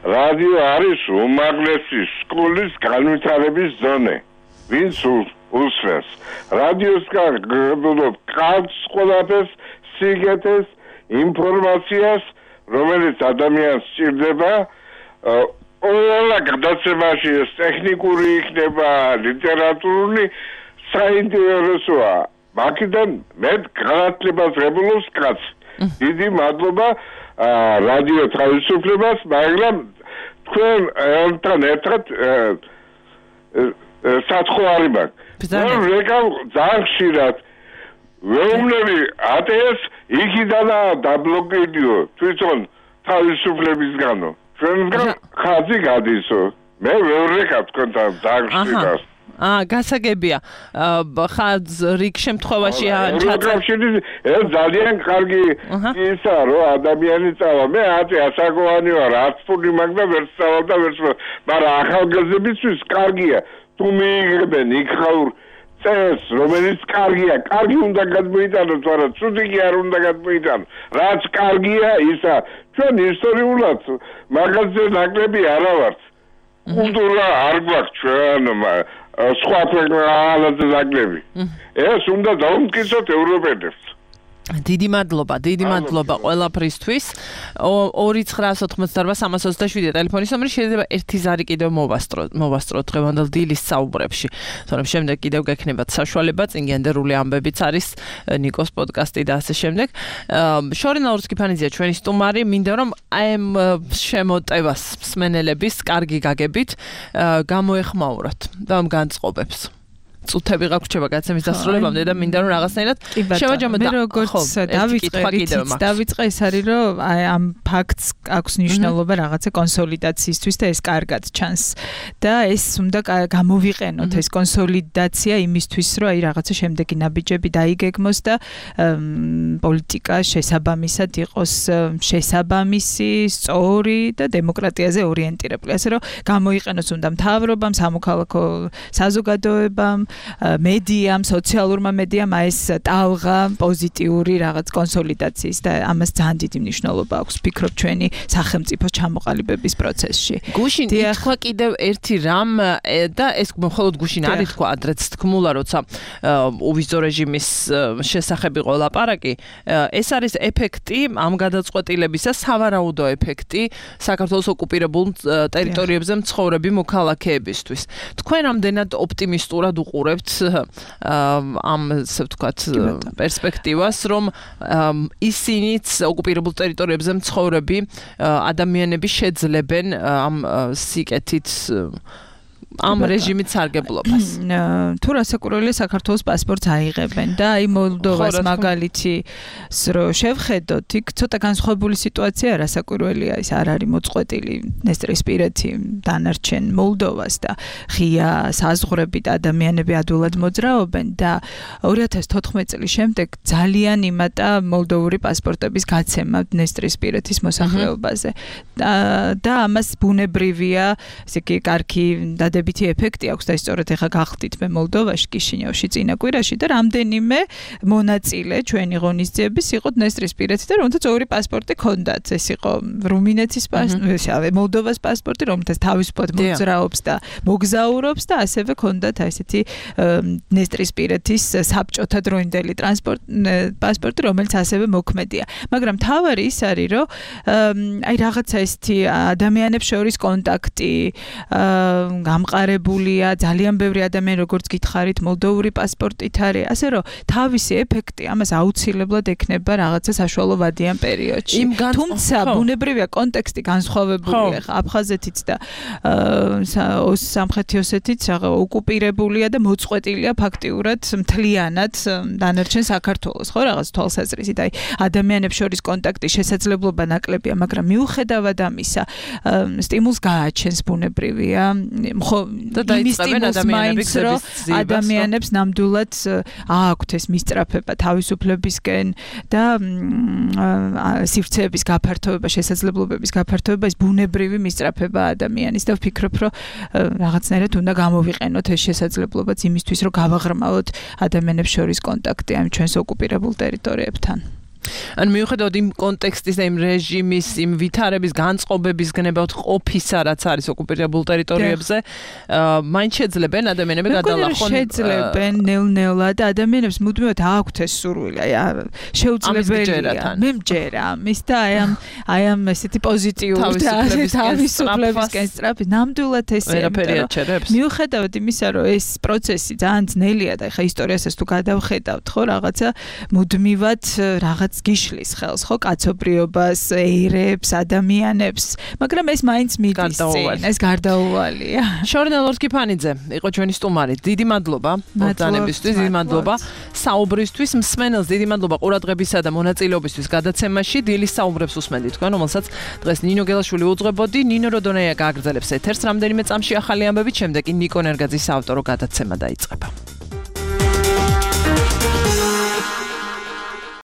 რადიო არის უმაღლესი სკოლის განვითარების ზონე. ვინც უსმენს რადიოს გაგებულობ კაც ყველაფერს, სიგეთეს, ინფორმაციას, რომელიც ადამიანს სჭირდება, ყველა გადაცემაში ეს ტექნიკური იქნება, ლიტერატურული, საინტერესოა. მაგიდან მე განათლებას ღებულობს კაც. დიდი მადლობა რადიო თავისუფლებას, მაგრამ თქვენ ერთთან ერთად სათხარი მაქვს. მე ვეკავ ძალიან ხშირად ვეუბნები ატეს იქიდანაა დაბლოკებიო თვითონ თავისუფლებისგანო. ჩვენგან ხაზი გადისო. მე ვერ ვეკავ თქვენთან ძალიან ხშირად. აა გასაგებია. ხაზ რიგ შემთხვევაში ჩაწერა. ეს ძალიან კარგი ისა რომ ადამიანი წავა. მე ათი ასაკოვანი ვარ, არც ფული მაქვს და ვერ წავალ და ვერ წავალ. მაგრამ ახალგაზრდებისთვის კარგია. თუ მიიღებენ იქ ხაურ წეს, რომელიც კარგია, კარგი უნდა გადმოიტანოთ, მაგრამ ცუდი კი არ უნდა გადმოიტანოთ. რაც კარგია, ისა ჩვენ ისტორიულად მაგაზე ნაკლები არა ვართ. კულტურა არ გვაქვს ჩვენ სხვა ქვეყნაზე ნაკლები. ეს უნდა დაუმტკიცოთ ევროპელებს. დიდი მადლობა, დიდი მადლობა ყველაფრისთვის. ორი ცხრა ოცდაოთხმოცდაარბა სამას ოცდაშვიდი ტელეფონის ნომერი შეიძლება ერთი ზარი კიდევ მოვასწროთ, მოვასწროთ დღევანდელ დილის საუბრებში. თორემ შემდეგ კიდევ გექნებათ საშუალება, წინ გენდერული ამბებიც არის, ნიკოს პოდკასტი და ასე შემდეგ. შორინა ურსკიფანიძეა ჩვენი სტუმარი, მინდა რომ აი ამ შემოტევას მსმენელების კარგი გაგებით გამოეხმაუროთ და ამ განწყობებს. წუთები გაგვრჩება გაცემის დასრულებამდე და მინდა რომ რაღაცნაირად შევაჯამოთ. მე როგორც დავიწყე, დავიწყე ეს არის რომ აი ამ ფაქტს აქვს მნიშვნელობა რაღაცა კონსოლიდაციისთვის და ეს კარგად ჩანს და ეს უნდა გამოვიყენოთ ეს კონსოლიდაცია იმისთვის რომ აი რაღაცა შემდეგი ნაბიჯები დაიგეგმოს და პოლიტიკა შესაბამისად იყოს შესაბამისი, სწორი და დემოკრატიაზე ორიენტირებული. ასე რომ გამოიყენოს უნდა მთავრობამ, სამოქალაქო საზოგადოებამ, მედიამ, სოციალურმა მედიამ ეს ტალღა პოზიტიური რაღაც კონსოლიდაციის და ამას ძალიან დიდი მნიშვნელობა აქვს ფიქრობ ჩვენი სახელმწიფოს ჩამოყალიბების პროცესში. გუშინ ითქვა კიდევ ერთი რამ და ეს მხოლოდ გუშინ არ ითქვა, ადრეც თქმულა, როცა უვიზო რეჟიმის შესახებ იყო ლაპარაკი, ეს არის ეფექტი ამ გადაწყვეტილებისა, სავარაუდო ეფექტი საქართველოს ოკუპირებულ ტერიტორიებზე მცხოვრები მოქალაქეებისთვის. თქვენ რამდენად ოპტიმისტურად უყურებთ ამ ასე ვთქვათ პერსპექტივას, რომ ისინიც ოკუპირებულ ტერიტორიებზე მცხოვრები ადამიანები შეძლებენ ამ სიკეთით ამ რეჟიმით სარგებლობას. თუ რასაკვირველია საქართველოს პასპორტს აიღებენ და აი მოლდოვას მაგალითი რო შევხედოთ, იქ ცოტა განსხვავებული სიტუაცია რასაკვირველია, ის არ არის მოწყვეტილი ნესტრისპირეთი დანარჩენ მოლდოვას და ღია საზღვრებით ადამიანები ადვილად მოძრაობენ და ორი ათას თოთხმეტი წლის შემდეგ ძალიან იმატა მოლდოვური პასპორტების გაცემა ნესტრისპირეთის მოსახლეობაზე და ამას ბუნებრივია, ესე იგი კარგი დადებითი ეფექტი აქვს და სწორედ ეხა გახდით მე მოლდოვაში, კიშინიოვში წინა კვირაში და რამდენიმე მონაწილე ჩვენი ღონისძიების იყო ნესტრისპირეთი და რომელთაც ორი პასპორტი ჰქონდათ. ეს იყო რუმინეთის პასპორტი, მოლდოვას პასპორტი, რომელთაც თავისუფლად მოძრაობს და მოგზაურობს და ასევე ჰქონდათ აი ესეთი ნესტრისპირეთის საბჭოთა დროინდელი ტრანსპორტ პასპორტი, რომელიც ასევე მოქმედია. მაგრამ თავარი ის არის, რომ აი რაღაცა ესეთი ადამიანებს შორის კონტაქტი გამყარებულია, ძალიან ბევრი ადამიანი როგორც გითხარით მოლდოვური პასპორტით არის, ასე რომ თავისი ეფექტი ამას აუცილებლად ექნება რაღაცა საშუალო ვადიან პერიოდში. თუმცა ბუნებრივია კონტექსტი განსხვავებულია, ხა აფხაზეთიც და სამხრეთი ოსეთიც ოკუპირებულია და მოწყვეტილია ფაქტიურად მთლიანად დანარჩენ საქართველოს, ხო, რაღაც თვალსაზრისით. აი ადამიანებს შორის კონტაქტი შესაძლებლობა ნაკლებია, მაგრამ მიუხედავად ამისა, სტიმულს გააჩენს ბუნებრივია და დაიწყებენ ადამიანების ადამიანებს ნამდვილად აქვთ ეს მისწრაფება თავისუფლებისკენ და სივრცეების გაფართოება, შესაძლებლობების გაფართოება, ეს ბუნებრივი მისწრაფება ადამიანის და ვფიქრობ, რომ რაღაცნაირად უნდა გამოვიყენოთ ეს შესაძლებლობაც იმისთვის, რომ გავაღრმავოთ ადამიანებს შორის კონტაქტი ამ ჩვენს ოკუპირებულ ტერიტორიებთან. ან მიუხედავად იმ კონტექსტის და იმ რეჟიმის, იმ ვითარების, განწყობების გნებავთ ყოფისა, რაც არის ოკუპირებულ ტერიტორიებზე, მაინც შეძლებენ ადამიანები გადალახონ. შეძლებენ ნელ-ნელა და ადამიანებს მუდმივად აქვთ ეს სურვილი, აი შეუძლებელია. მე მჯერა, მის და აი ამ აი ამ ესეთი პოზიტიური თავისუფლებისკენ სწრაფი, ნამდვილად ესეა. მიუხედავად იმისა, რომ ეს პროცესი ძალიან ძნელია და ეხა ისტორიასაც თუ გადავხედავთ, ხო, რაღაცა მუდმივად რაღაც გიშლის ხელს, ხო, კაცობრიობას, ერებს, ადამიანებს, მაგრამ ეს მაინც მიდის წინ, ეს გარდაუვალია. შორნა ლორთქიფანიძე იყო ჩვენი სტუმარი. დიდი მადლობა ბრძანებისთვის, დიდი მადლობა საუბრისთვის, მსმენელს დიდი მადლობა ყურადღებისა და მონაწილეობისთვის გადაცემაში. დილის საუბრებს უსმენთ თქვენ, რომელსაც დღეს ნინო გელაშვილი უძღვებოდი. ნინო როდონეა გააგრძელებს ეთერს რამდენიმე წამში ახალი ამბებით, შემდეგ კი ნიკო ნერგაძის საავტორო გადაცემა დაიწყება.